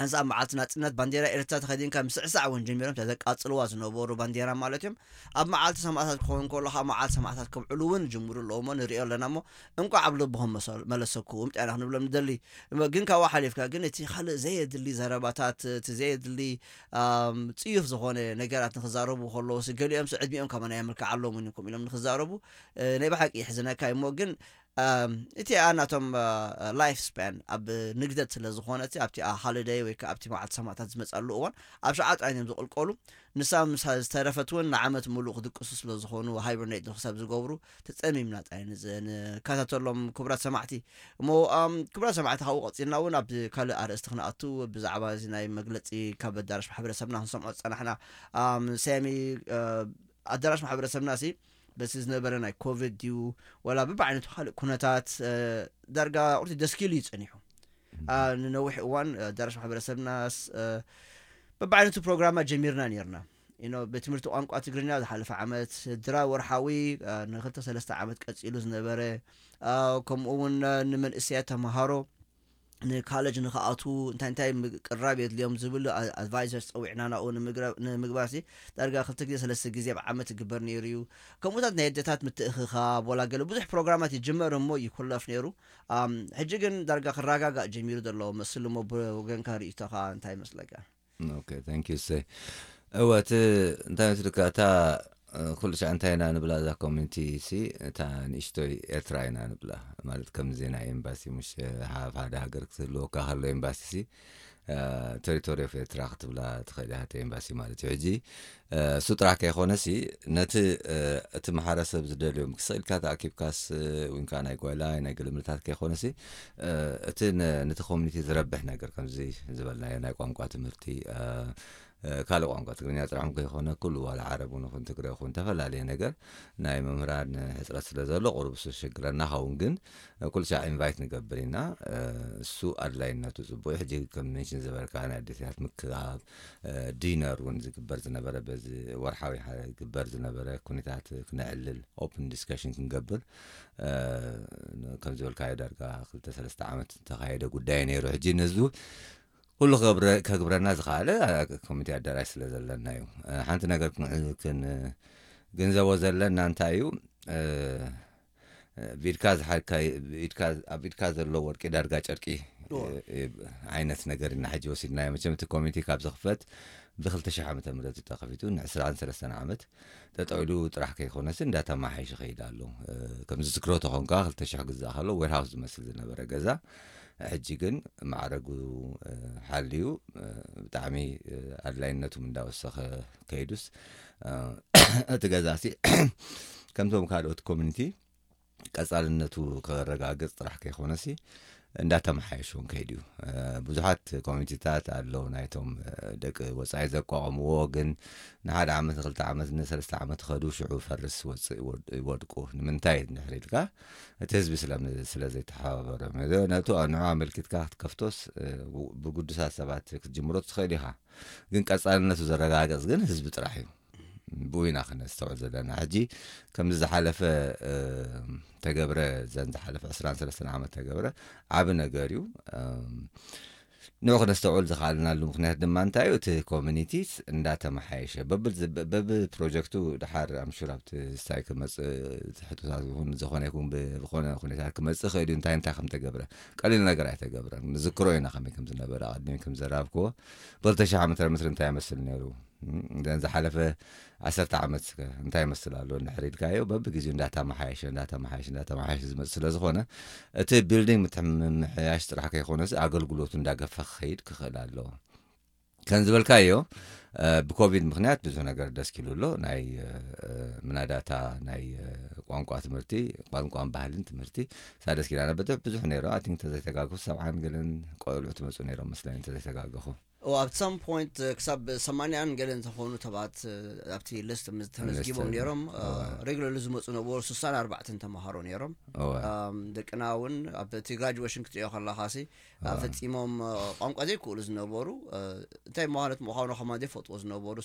ሓንሳብ መዓልቲ ናጽነት ባንዴራ ኤርትራ ተኸዲንካ ምስዕሳዕ እውን ጀሚሮም እታ ዘቃጽልዋ ዝነበሩ ባንዴራ ማለት እዮም። ኣብ መዓልቲ ሰማእታት ክኸውን ከሎ ካብ መዓልቲ ሰማእታት ከብዕሉ እውን ጅምሩ ኣለዎ እሞ ንሪኦ ኣለና እሞ እንቋዕ ኣብ ልብኹም መለሰኩም ጥዕና ክንብሎም ንደሊ። ግን ካብኡ ሓሊፍካ ግን እቲ ካልእ ዘየድሊ ዘረባታት፣ እቲ ዘየድሊ ጽዩፍ ዝኾነ ነገራት ንክዛረቡ ከለዉ ገሊኦም ዕድሚኦም ከማና የምልክዓሎም እውን ይኩም ኢሎም ንክዛረቡ ናይ ብሓቂ ይሕዝነካ እሞ ግን እቲ ኣናቶም ላይፍ ስፓን ኣብ ንግደት ስለ ዝኾነ ኣብቲ ሃሊደይ ወይ ከዓ ኣብቲ መዓልቲ ሰማእታት ዝመፀሉ እዋን ኣብ ሸዓ ጥራይ እዮም ዝቕልቀሉ። ንሳ ምስ ዝተረፈት እውን ንዓመት ሙሉእ ክድቅሱ ስለ ዝኾኑ ሃይበርኔት ንክሳብ ዝገብሩ ተፀሚምና ጥራይ ንከታተሎም ክቡራት ሰማዕቲ። እሞ ክቡራት ሰማዕቲ ካብኡ ቀፂልና እውን ኣብ ካልእ ኣርእስቲ ክንኣቱ ብዛዕባ እዚ ናይ መግለፂ ካብ ኣዳራሽ ማሕበረሰብና ክንሰምዖ ዝፀናሕና ሰሚ ኣዳራሽ ማሕበረሰብና ሲ በቲ ዝነበረ ናይ ኮቪድ ድዩ ወላ ብብዓይነቱ ካልእ ኩነታት ዳርጋ ቁርቲ ደስኪሉ እዩ ፀኒሑ። ንነዊሕ እዋን ኣዳራሽ ማሕበረሰብናስ በብዓይነቱ ፕሮግራማት ጀሚርና ነርና። ቤት ትምህርቲ ቋንቋ ትግርኛ ዝሓለፈ ዓመት ድራ ወርሓዊ ንክልተ ሰለስተ ዓመት ቀፂሉ ዝነበረ፣ ከምኡ እውን ንመንእሰያት ተምሃሮ ንካለጅ ንክኣትዉ እንታይ እንታይ ቅራብ የድልዮም ዝብል ኣድቫይዘርስ ፀዊዕና ናብኡ ንምግባር ሲ ዳርጋ ክልተ ግዜ ሰለስተ ግዜ ኣብ ዓመት ይግበር ነይሩ እዩ። ከምኡታት ናይ ኣደታት ምትእኽኻብ ወላ ገለ ብዙሕ ፕሮግራማት ይጅመር እሞ ይኩለፍ ነይሩ። ሕጂ ግን ዳርጋ ክረጋጋእ ጀሚሩ ዘሎ መስል እሞ ብወገንካ ርእይቶኻ እንታይ ይመስለካ? ኦኬ፣ thank you ሰይ። እወ እቲ እንታይ መስልካ እታ ኩሉ ሻዕ እንታይ ኢና ንብላ እዛ ኮሚኒቲ ሲ እታ ንእሽቶይ ኤርትራ ኢና ንብላ። ማለት ከምዚ ናይ ኤምባሲ ሙሽ ሃብ ሓደ ሃገር ክትህልወካ ከሎ ኤምባሲ ሲ ቴሪቶሪ ኦፍ ኤርትራ ክትብላ ትኽእል ኢኻ እቲ ኤምባሲ ማለት እዩ። ሕጂ እሱ ጥራሕ ከይኮነ ሲ ነቲ እቲ ማሕበረሰብ ዝደልዮም ክስቕ ኢልካ ተኣኪብካስ ወይንካ ናይ ጓይላይ ናይ ገለምልታት ከይኮነ ሲ እቲ ነቲ ኮሚኒቲ ዝረብሕ ነገር ከምዚ ዝበልናዮ ናይ ቋንቋ ትምህርቲ ካልእ ቋንቋ ትግርኛ ጥራሕ ከይኮነ ኩሉ ዋላ ዓረብ እውን ይኹን ትግረ ይኹን ተፈላለየ ነገር ናይ መምህራን ሕፅረት ስለ ዘሎ ቁሩብ እሱ ሽግረና ኸውን ግን ኩሉ ሻዕ ኢንቫይት ንገብር ኢና። እሱ ኣድላይነቱ ፅቡቅ። ሕጂ ከም ሜንሽን ዝበልካ ናይ ኣዴታት ምክባብ ዲነር እውን ዝግበር ዝነበረ በዚ ወርሓዊ ዝግበር ዝነበረ ኩነታት ክነዕልል ኦፕን ዲስከሽን ክንገብር ከም ዝበልካዮ ዳርጋ ክልተ ሰለስተ ዓመት ዝተኻየደ ጉዳይ ነይሩ። ሕጂ ነዚ ኩሉ ከግብረና ዝኸኣለ ኮሚቴ ኣዳራሽ ስለ ዘለና እዩ። ሓንቲ ነገር ክንግንዘቦ ዘለና እንታይ እዩ፣ ብኢድካ ዝሓዝካዮ ኣብ ኢድካ ዘሎ ወርቂ ዳርጋ ጨርቂ ዓይነት ነገር ኢና ሕጂ ወሲድናዮ። መቸም እቲ ኮሚቴ ካብ ዝኽፈት ብ2000 ዓመተ ምህረት እዩ ተኸፊቱ፣ ን23 ዓመት ጠጠው ኢሉ ጥራሕ ከይኮነስ እንዳተማሓየሸ ይኸይድ ኣሎ። ከም ዝዝክሮ ተኾንካ 2000 ግዛእ ከሎ ዌርሃውስ ዝመስል ዝነበረ ገዛ ሕጂ ግን ማዕረጉ ሓልዩ ብጣዕሚ ኣድላይነቱ እንዳወሰኸ ከይዱስ እቲ ገዛሲ ከምቶም ካልኦት ኮሚኒቲ ቀጻልነቱ ከረጋግጽ ጥራሕ ከይኮነሲ እንዳተመሓየሸ እውን ከይዱ እዩ። ብዙሓት ኮሚኒቲታት ኣለዉ ናይቶም ደቂ ወጻኢ ዘቋቋምዎ፣ ግን ንሓደ ዓመት ንክልተ ዓመት ንሰለስተ ዓመት ከዱ ሽዑ ፈርስ ወጽእ ይወድቁ። ንምንታይ እንድሕር ኢልካ እቲ ህዝቢ ስለ ዘይተሓባበሮም ነቱ ንዑ ኣመልኪትካ ክትከፍቶስ ብግዱሳት ሰባት ክትጅምሮ ትኽእል ኢኻ። ግን ቀጻልነቱ ዘረጋግጽ ግን ህዝቢ ጥራሕ እዩ። ብኡ ኢና ክነስተውዕል ዘለና። ሕጂ ከምዚ ዝሓለፈ ተገብረ ዘን ዝሓለፈ 23 ዓመት ተገብረ ዓብ ነገር እዩ። ንዑ ክነስተውዕል ዝኽኣልናሉ ምክንያት ድማ እንታይ እዩ? እቲ ኮሚኒቲ እንዳተመሓየሸ በብ ፕሮጀክቱ ድሓር ኣምሹር ኣብቲ ስታይ ክመፅእ ሕቶታት ይኹን ዝኾነ ይኹን ብዝኾነ ኩነታት ክመፅእ ክእል እዩ። እንታይ እንታይ ከም ተገብረ ቀሊል ነገር ኣይተገብረን። ንዝክሮ ኢና ከመይ ከም ዝነበረ ኣቐዲሚ ከም ዘራብክዎ ብ2000 ዓመተ ምህረት እንታይ ይመስል ነይሩ፣ ዝሓለፈ ዓሰርተ ዓመት እንታይ ይመስል ኣሎ እንድሕር ኢልካዮ በብግዜኡ እንዳተመሓየሸ እንዳተመሓየሸ እንዳተመሓየሸ ዝመፅእ ስለ ዝኾነ እቲ ቢልዲንግ ምምሕያሽ ጥራሕ ከይኮነስ ኣገልግሎቱ እንዳገፋ ክኸይድ ክኽእል ኣለዎ። ከም ዝበልካዮ ብኮቪድ ምክንያት ብዙሕ ነገር ደስኪሉ ኣሎ። ናይ ምናዳታ ናይ ቋንቋ ትምህርቲ፣ ቋንቋን ባህልን ትምህርቲ ሳደስኪላ ነበተ ብዙሕ ነይሮ። ኣቲ እንተዘይተጋግኹ ሰብዓን ገለን ቆልዑ ትመፁ ነይሮም መስለኒ እንተዘይተጋግኹ። ኣብ ሰም ፖይንት ክሳብ ሰማንያን ገለን ዝኾኑ ተባት ኣብቲ ልስት ተመዝጊቦም ነይሮም። ሬጉለርሊ ዝመፁ ነበሩ ስሳን ኣርባዕተን ተምሃሮ ነይሮም። ደቅና እውን ኣብቲ ግራጁዌሽን ክትሪኦ ከለኻሲ ፈፂሞም ቋንቋ ዘይክእሉ ዝነበሩ እንታይ ማለት ምዃኑ ከማ ዘይፈልጥዎ ዝነበሩ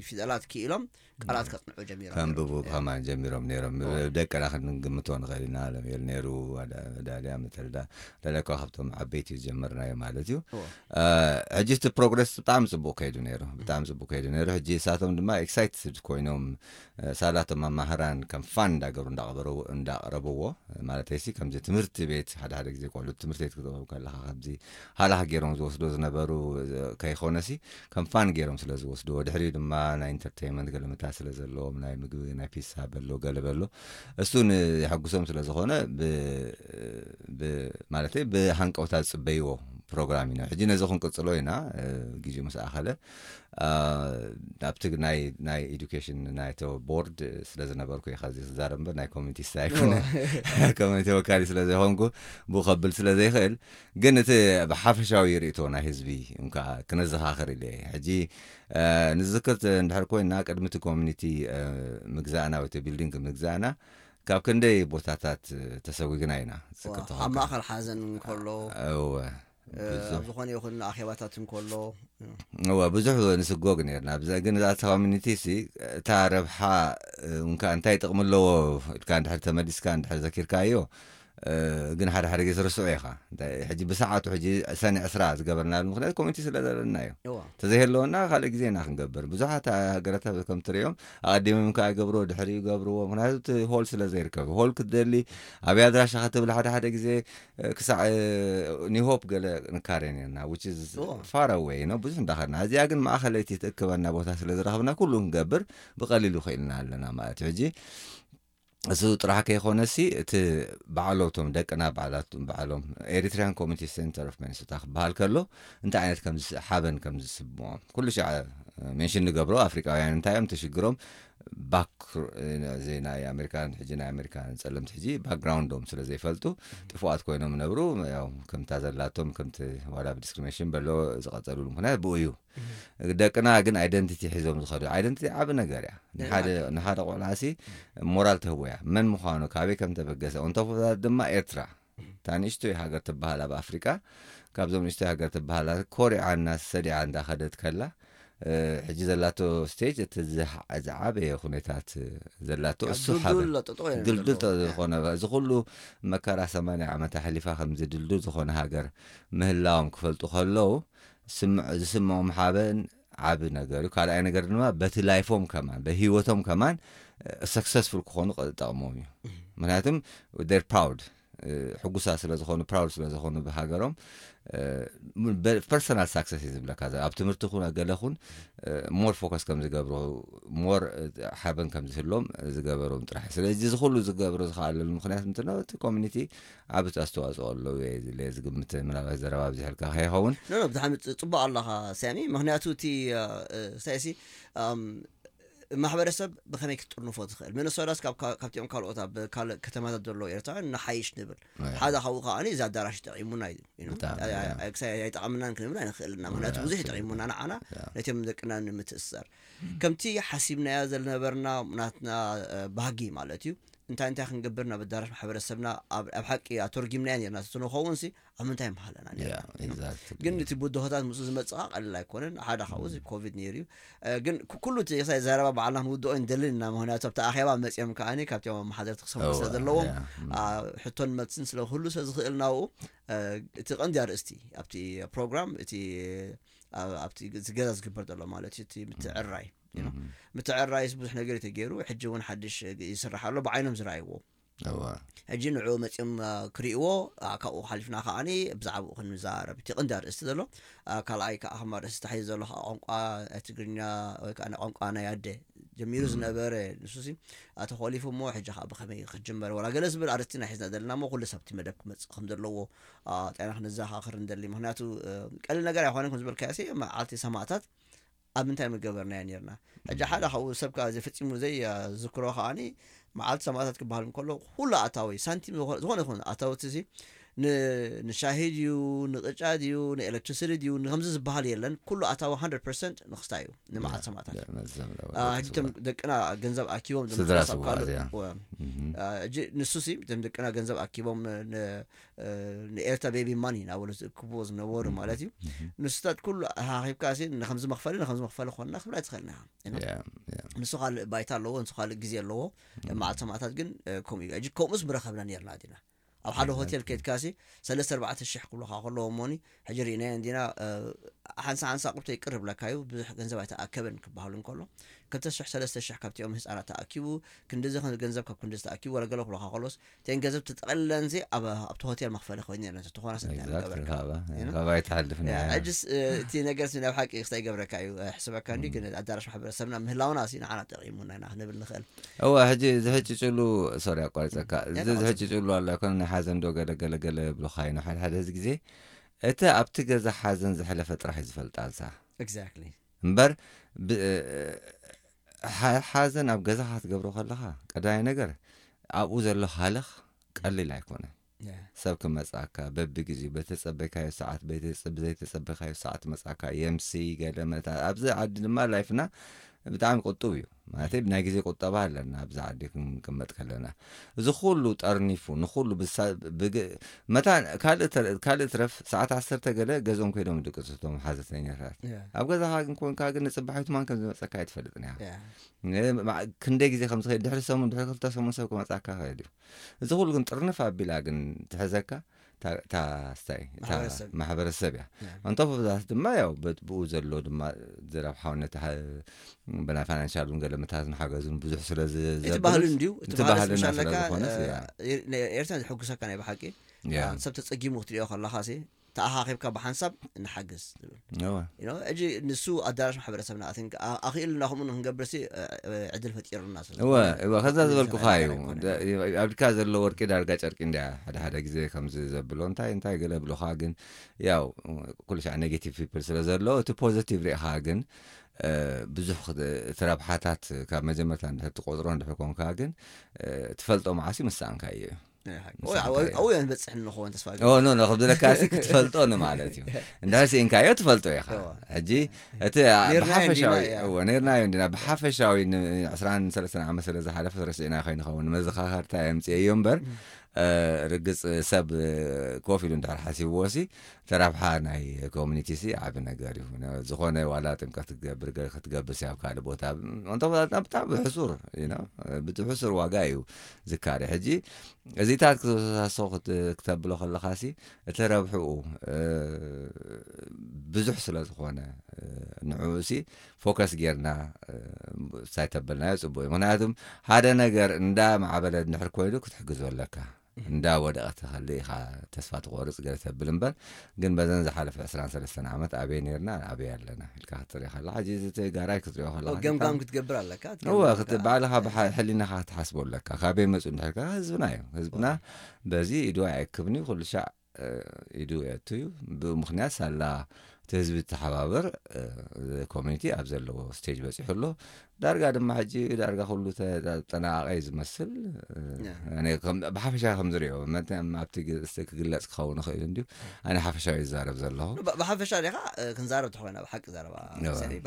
ፊደላት ክኢሎም ቃላት ከፅንዑ ጀሚሮም ከንብቡ ከማን ጀሚሮም ነይሮም። ደቅና ክንግምቶ ንኽእል ኢና። ለምኤል ነይሩ፣ ዳልያ መተልዳ፣ ዳልያ እኳ ካብቶም ዓበይቲ ዝጀመርናዮ ማለት እዩ። ሕጂ እቲ ፕሮግረስ ብጣዕሚ ፅቡቅ ከይዱ ነይሩ፣ ብጣዕሚ ፅቡቅ ከይዱ ነይሩ። ሕጂ እሳቶም ድማ ኤክሳይትድ ኮይኖም ሳላቶም መማህራን ከም ፋን እንዳገሩ እንዳቕረብዎ ማለት ሲ ከምዚ ትምህርቲ ቤት ሓደ ሓደ ግዜ ቆልዑ ትምህርቲ ቤት ክትበቡ ከለካ ከምዚ ሃላኽ ገይሮም ዝወስዶ ዝነበሩ ከይኮነሲ ከም ፋን ገይሮም ስለ ዝወስድዎ ድሕሪኡ ድማ ናይ ኢንተርቴይንመንት ገለመታ ስለ ዘለዎም ናይ ምግቢ ናይ ፒሳ በሎ ገለ በሎ እሱ ንየሐጉሶም ስለ ዝኾነ ማለት ብሃንቀውታ ዝፅበይዎ ፕሮግራም ኢና። ሕጂ ነዚ ክንቅፅሎ ኢና ግዜኡ ምስ ኣኸለ ኣብቲ ናይ ናይ ኤዱኬሽን ናይቶ ቦርድ ስለ ዝነበርኩ ኢኻ እዚ ክዛረብ እምበር ናይ ኮሚኒቲ ስታይ ኣይኮነ ኮሚኒቲ ወካሊ ስለ ዘይኮንኩ ብኡ ከብል ስለ ዘይኽእል ግን እቲ ብሓፈሻዊ ርእቶ ናይ ህዝቢ እንካ ክነዘኻኽር ኢለ ሕጂ ንዝክር እንድሕር ኮይና ቅድሚ እቲ ኮሚኒቲ ምግዛእና ወይ ቢልዲንግ ምግዛእና ካብ ክንደይ ቦታታት ተሰጉግና ኢና ዝክር ኣብ ማእኸል ሓዘን እንከሎ እወ ኣብ ዝኾነ ይኹን ኣኼባታት እንከሎ እወ ብዙሕ ንስጎግ ነርና ብዛ ግን እዛ ኮሚኒቲ ሲ እታ ረብሓ እንካ እንታይ ጥቕሚ ኣለዎ ኢልካ እንድሕር ተመሊስካ እንድሕር ዘኪርካዮ ግን ሓደ ሓደ ግዜ ትርስዑ ኢኻ ሕጂ ብሰዓቱ ሕጂ ሰኒ ዕስራ ዝገበርናሉ ምክንያት ኮሚኒቲ ስለ ዘለና እዩ ተዘይህለወና ካልእ ግዜ ኢና ክንገብር ብዙሓት ሃገረታት ከም ትሪኦም ኣቐዲሞም ከዓ ይገብርዎ ድሕሪኡ ይገብርዎ ምክንያቱ እቲ ሆል ስለ ዘይርከብ ሆል ክትደሊ ኣብይ ኣድራሻ ክትብል ሓደ ሓደ ግዜ ክሳዕ ኒሆፕ ገለ ንካረ ነርና which is far away ነው ብዙሕ እንዳኸድና እዚኣ ግን ማእኸለይቲ ትእክበና ቦታ ስለ ዝረኽብና ኩሉ ክንገብር ብቐሊሉ ክኢልና ኣለና ማለት እዩ ሕጂ እሱ ጥራሕ ከይኮነሲ እቲ ባዕሎቶም ደቅና ባዕላቶም ባዕሎም ኤሪትሪያን ኮሚኒቲ ሴንተር ኦፍ ሚኒሶታ ክበሃል ከሎ እንታይ ዓይነት ከም ሓበን ከም ዝስምዖም ኩሉ ሻዕ ሜንሽን ንገብሮ ኣፍሪቃውያን እንታይ እዮም ተሽግሮም ባክ እዚ ናይ ኣሜሪካን ሕጂ ናይ ኣሜሪካን ጸለምቲ ሕጂ ባክግራውንዶም ስለ ዘይፈልጡ ጥፉኣት ኮይኖም ነብሩ። ያው ከምታ ዘላቶም ከምቲ ዋላ ብዲስክሪሚኔሽን በሎ ዝቐጸሉሉ ምክንያት ብኡ እዩ። ደቅና ግን ኣይደንቲቲ ሒዞም ዝኸዱ። ኣይደንቲቲ ዓቢ ነገር እያ። ንሓደ ቆልዓሲ ሞራል ተህቦ እያ፣ መን ምዃኑ፣ ካበይ ከም ተበገሰ። እንተፍታት ድማ ኤርትራ እታ ንእሽቶይ ሃገር ትበሃል ኣብ ኣፍሪቃ፣ ካብዞም ንእሽቶይ ሃገር ትበሃል ኮሪዓ እና ሰዲዓ እንዳኸደት ከላ፣ ሕጂ ዘላቶ ስቴጅ እቲ ዝዓበየ ኩነታት ዘላቶ እሱ ሓበ ድልዱል ዝኾነ፣ እዚ ኩሉ መከራ ሰማንያ ዓመት ኣሕሊፋ ከምዚ ድልዱል ዝኾነ ሃገር ምህላዎም ክፈልጡ ከለዉ ዝስምዖም ሓበን ዓቢ ነገር እዩ። ካልኣይ ነገር ድማ በቲ ላይፎም ከማን በህይወቶም ከማን ሰክሰስፉል ክኾኑ ጠቕሞም እዩ። ምክንያቱም ር ፕራውድ ሕጉሳ ስለዝኾኑ ፕራውድ ስለዝኾኑ ብሃገሮም ፐርሰናል ሳክሰስ እዩ ዝብለካ። ኣብ ትምህርቲ ኩን ገለ ኩን ሞር ፎከስ ከም ዝገብሩ ሞር ሓበን ከም ዝህሎም ዝገበሮም ጥራሕ። ስለዚ እዚ ኩሉ ዝገብሩ ዝኽኣለሉ ምክንያት ምንድነው? እቲ ኮሚኒቲ ዓቢ ኣስተዋፅኦ ኣለዎ እየ ዝለ ዝግምት። ምናልባት ዘረባ ኣብዚሕልካ ከይኸውን። ኖ ኖ፣ ብጣዕሚ ጽ- ጽቡቕ ኣለኻ ሳሚ። ምክንያቱ እቲ ሳይሲ ማሕበረሰብ ብኸመይ ክትጥርንፎ ትኽእል? ሚነሶታስ ካብ- ካብ- ካብቲኦም ካልኦት ኣብ ካልእ ከተማታት ዘለዉ ኤርትራውያን ንሓይሽ ንብል። ሓደ ካብኡ ከዓኒ እዚ ኣዳራሽ ይጠቒሙና እዩ። You know? ብጣዕሚ፣ ያ። ኣይ- ክሳይ ኣይጠቐምናን ክንብል ኣይንኽእልና። ምክንያቱ ያ፣ ብዙሕ ትክክል። ይጠቒሙና ንዓና ያ። ነቶም ደቅና ንምትእስሳር ከምቲ ሓሲብናዮ ዝነበርና ናትና እ፣ ባህጊ ማለት እዩ። እንታይ እንታይ ክንገብር ናብ ኣዳራሽ ማሕበረሰብና ኣብ ኣብ ሓቂ ኣተርጊምናዮ ነርና ተትንኸውን ሲ ኣብ ምንታይ ምሃለና ነርና? ግን እቲ ብድሆታት ምስኡ ዝመጽእ ኸኣ ቀሊል ኣይኮነን። ሓደ ካብኡ እዚ ኮቪድ ነይሩ እዩ። እ፣ ግን ክ- ኩሉ እቲ ክሳይ ዘረባ ባዕልና ክንውድኦ ንደልን ኢና። ምክንያቱ ኣብቲ ኣኼባ መጺኦም ከኣኒ ካብቲ ኣመሓደርቲ ክሰምዑ ስለ ዘለዎም ያ። እ፣ ሕቶን መልስን ስለ ክህሉ ስለ ዝኽእል ናብኡ እ፣ እቲ ቀንዲ ኣርእስቲ ኣብቲ ፕሮግራም እቲ ኣብ- ኣብቲ ግ- ገዛ ዝግበር ዘሎ ማለት እዩ። እቲ ምትዕራይ you know? ምትዕራይስ ብዙሕ ነገር እዩ ተገይሩ። ሕጂ እውን ሓድሽ ግ- ይስራሕ ኣሎ ብዓይኖም ዝረኣይዎ። ሕጂ ንዕኡ መፂኦም እ፣ ክርእይዎ እ፣ ካብኡ ሓሊፍና ከዓኒ ብዛዕባኡ ክንዛረብ እቲ ቀንዲ ኣርእስቲ ዘሎ። እ፣ ካልኣይ ከዓ ከም ኣርእስቲ ተታሒዙ ዘሎ ከዓ ቋንቋ ናይ ትግርኛ ወይ ከዓ ናይ ቋንቋ ናይ ኣደ ጀሚሩ ዝነበረ ንሱ ሲ ተኾሊፉ እሞ ሕጂ ከዓ ብኸመይ ክጅመር ወላ ገለ ዝብል ኣርእስቲ ኢና ሒዝና ዘለና እሞ ኩሉ ሰብ እቲ መደብ ክመፅእ ከም ዘለዎ እ፣ ጥዕና ክንዘኻኽር ንደሊ። ምክንያቱ እ፣ ቀሊል ነገር ኣይኮነን ከም ዝበልካዮ ሲ መዓልቲ ሰማእታት ኣብ ምንታይ ምገበርናዮ ነርና። ሕጂ ሓደ ካብኡ ሰብ ከዓ ዘፈፂሙ ዘይዝክሮ ከዓኒ መዓልቲ ሰማእታት ክበሃል እንከሎ ኩሉ ኣታዊ ሳንቲም ዝኾ- ዝኾነ ይኹን ኣታውቲ ሲ ን- ንሻሂ ድዩ ንቅጫ ድዩ ንኤሌክትሪሲቲ ድዩ ንከምዚ ዝበሃል የለን። ኩሉ ኣታዊ ሃንድረድ ፐርሰንት ንክስታይ እዩ ንመዓልቲ ሰማእታት። ሕጂ እቶም ደቅና ገንዘብ ኣኪቦም ስድራ ዝምለሱ ስውኣት ካብ- እያ። ወ- እ፣ ሕጂ ንሱ ሲ እቶም ደቅና ገንዘብ ኣኪቦም ን- እ፣ ንኤርትራ ቤቢ ማኒ እናበሉ ዝእክብዎ ዝነበሩ ማለት እዩ። ንስታት ኩሉ ሃኺብካ ሲ ንከምዚ መኽፈሊ ንከምዚ መኽፈሊ ኮንና ክብላ ትኽእልና ኢኻ። You know? ንሱ ካልእ ባይታ ኣለዎ፣ ንሱ ካልእ ግዜ ኣለዎ። መዓልቲ ሰማእታት ግን እ፣ ከምኡ እዩ። ሕጂ ከምኡስ ምረኸብና ነርና ዲና ኣብ ሓደ ሆቴል ከድካ ሲ ሰለስተ ኣርባዕተ ሽሕ ክብሉኻ ከለዎ እሞኒ ሕጂ ርኢናዮ እንዲና። እ፣ ሓንሳ ሓንሳ ቁብቶ ይቅር ይብለካ እዩ፣ ብዙሕ ገንዘብ ኣይተኣከበን ክበሃሉ እንከሎ ክልተ ሽሕ ሰለስተ ሽሕ ካብቲኦም ህፃናት ተኣኪቡ ክንድዚ ገንዘብ ካብ ክንድዚ ተኣኪቡ ወላ ገለ ክብሉኻ ከሎስ እተን ገንዘብ ተጠቕልለን ሲ ኣብ ኣብቲ ሆቴል መኽፈሊ ኮይኑ ነርና ተኾና ስንታይ Exactly፣ ገበርካ ካባ- You know? ካባ ኣይትሓልፍን እያ። ሕጅስ እ፣ እቲ ነገር ሲ ናብ ሓቂ ክስታይ ይገብረካ እዩ። እ፣ ሕስበካ እንዲ ግን ኣዳራሽ ማሕበረሰብና ምህላውና ሲ ንዓና ጠቒሙና ኢና ክንብል ንኽእል። እወ ሕጂ ዝሕጭጭሉ ሶሪ ኣቋሪፀካ እዚ ዝሕጭጭሉ ኣሎ ኣይኮነ ናይ ሓዘን ዶ ገለ ገለ ገለ ብሉካ እዩ ሓደ ሓደ እዚ ግዜ እቲ ኣብቲ ገዛ ሓዘን ዝሕለፈ ጥራሕ እዩ ዝፈልጣ እዛ Exactly። እምበር ብ- ሓ- ሓዘን ኣብ ገዛኻ ክትገብሮ ከለኻ ቀዳማይ ነገር ኣብኡ ዘሎ ሃለኽ ቀሊል ኣይኮነን። ሰብ ክመጻካ በብግዜኡ በተጸበይካዮ ሰዓት በተጸ- ብዘይተጸበይካዮ ሰዓት መጻካ የምሲ ገለ መታ ኣብዚ ዓዲ ድማ ላይፍና ብጣዕሚ ቁጡብ እዩ። ማለተይ ብናይ ግዜ ቁጠባ ኣለና ኣብዚ ዓዲ ክንቅመጥ ከለና እዚ ኩሉ ጠርኒፉ ንኩሉ ብሳ- ብግ- መታን ካልእ ተረ- ካልእ ትረፍ ሰዓት ዓሰርተ ገለ ገዝኦም ከይዶም ድቅሱ እቶም ሓዘተኛታት ኣብ ገዛኻ ግን ኮንካ ግን ንጽባሒቱ ማን ከም ዝመጸካ ኣይትፈልጥን ኢኻ። ክንደይ ግዜ ከም ዝኸይድ ድሕሪ ሰሙን ድሕሪ ክልተ ሰሙን ሰብ ክመጻካ ይኽእል እዩ። እዚ ኩሉ ግን ጥርንፍ ኣቢላ ግን ትሕዘካ እታ ስታይ ማሕበረሰብ እያ። ኣንቶፍ ብዛት ድማ ያው ብኡ ዘሎ ድማ ዝረብሓው ነቲ ብናይ ፋይናንሻል እውን ገለ ምታት ንሓገዙን ብዙሕ ስለ እቲ ባህልን ድዩ እቲ ባህልና ስለ ዝኾነ ኤርትራ ዝሕጉሰካ ናይ ብሓቂ ሰብ ተፀጊሙ ክትሪኦ ከለካ ተኣኻኺብካ ብሓንሳብ ንሓግዝ ዝብል ሕጂ ንሱ ኣዳራሽ ማሕበረሰብና ኣኽኢልና ከምኡ ንክንገብር ሲ ዕድል ፈጢሩና እወ እወ ከዛ ዝበልኩኻ እዩ። ኣብድካ ዘሎ ወርቂ ዳርጋ ጨርቂ እንድያ ሓደ ሓደ ግዜ ከምዚ ዘብሎ እንታይ እንታይ ገለ ብሎኻ ግን ያው ኩሉ ሻዕ ኔጌቲቭ ፒፕል ስለ ዘሎ እቲ ፖዘቲቭ ሪኢኻ ግን ብዙሕ እቲ ረብሓታት ካብ መጀመርታ እንድሕር ትቆፅሮ እንድሕር ኮንካ ግን ትፈልጦ መዓስ እዩ ምሳንካ እዩ። ኣብኡ ንበፅሕ ንኸውን ተስፋ ኖ ኖ ክብለካ ክትፈልጦ ንማለት እዩ። እንድሕር ስኢንካዮ ትፈልጦ ኢኻ። ሕጂ እቲ ብሓፈሻዊ ነርናዮ እንዲና ብሓፈሻዊ ዕስራን ሰለስተን ዓመት ስለ ዝሓለፈ ረስዒና ከይንኸውን መዘኻኸርታ የምፅኤዮ እምበር ርግፅ ሰብ ኮፍ ኢሉ እንድሕር ሓሲብዎ ሲ ተራብሓ ናይ ኮሚኒቲ ሲ ዓቢ ነገር እዩ። ዝኾነ ዋላ ጥምቀት ክትገብር ገለ ክትገብር ሲ ኣብ ካልእ ቦታ እንተ ብጣዕሚ ብሕሱር ብቲ ሕሱር ዋጋ እዩ ዝካረ። ሕጂ እዚታት ክተወሳሶ ክተብሎ ከለኻ ሲ እቲ ረብሕኡ ብዙሕ ስለ ዝኾነ ንዕኡ ሲ ፎከስ ጌርና ሳይ ተበልናዮ ፅቡቅ እዩ። ምክንያቱም ሓደ ነገር እንዳ ማዕበለ እንድሕር ኮይኑ ክትሕግዞ ኣለካ። እንዳ ወደቐ ተኸሊ ኢኻ ተስፋ ትቆርፅ ገለ ተብል እምበር ግን በዘን ዝሓለፈ ዕስራን ሰለስተን ዓመት ኣበይ ነርና ኣበይ ኣለና ኢልካ ክትርኢ ከላ ሕጂ እዚ ተጋራይ ክትሪኦ ከላ ገምጋም ክትገብር ኣለካ። እወ ባዕልኻ ሕሊናኻ ክትሓስቦ ኣለካ። ካበይ መፁ እንድሕርካ ህዝብና እዩ። ህዝብና በዚ ኢዱ ኣይክብኒ ኩሉ ሻዕ ኢዱ የእቱ እዩ። ብምክንያት ሳላ እቲ ህዝቢ ተሓባበር ኮሚኒቲ ኣብ ዘለዎ ስቴጅ በፂሑ ኣሎ። ዳርጋ ድማ ሕጂ ዳርጋ ኩሉ ተጠናቃቀ እዩ ዝመስል። ብሓፈሻ ከምዝሪኦ ኣብቲ ክግለፅ ክኸውን ይኽእል እንዲሁ ኣነ ሓፈሻዊ ይዛረብ ዘለኹ። ብሓፈሻ ዲኻ ክንዛረብ ተኮይና ብሓቂ ዘረባ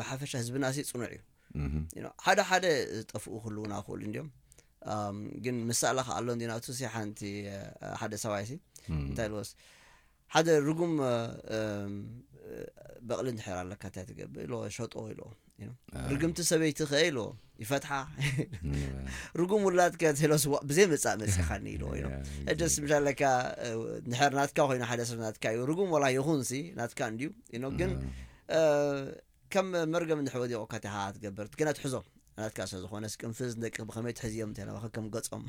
ብሓፈሻ ህዝብና ሲ ፅኑዕ እዩ። ሓደ ሓደ ዝጠፍኡ ክህልውና ክኽእሉ እንዲዮም ግን ምሳላ ከኣሎ እንዲ ናቱ ሲ ሓንቲ ሓደ ሰብኣይ ሲ እንታይ ልወስ ሓደ ርጉም በቕሊ እንድሕር ኣለካ እንታይ ትገብር ኢሎ ሸጦ ኢሎ ርግምቲ ሰበይቲ ከ ኢሎ ይፈትሓ ርጉም ውላድ ከ ኢሎ ብዘይ መጻእ መጽኻኒ ኢሎ ኢሎ እደስ ምሻለካ ንሕር ናትካ ኮይኑ ሓደ ሰብ ናትካ እዩ ርጉም ወላ ይኹን ሲ ናትካ እንድዩ ኢኖ ግን ከም መርገም እንድሕር ወዲቑካ ቲኻ ትገብር ግና ትሕዞ ናትካ ስለ ዝኾነ ቅንፍዝ ደቂ ብኸመይ ትሕዝዮም እንተ ናባኸ ከም ገጾም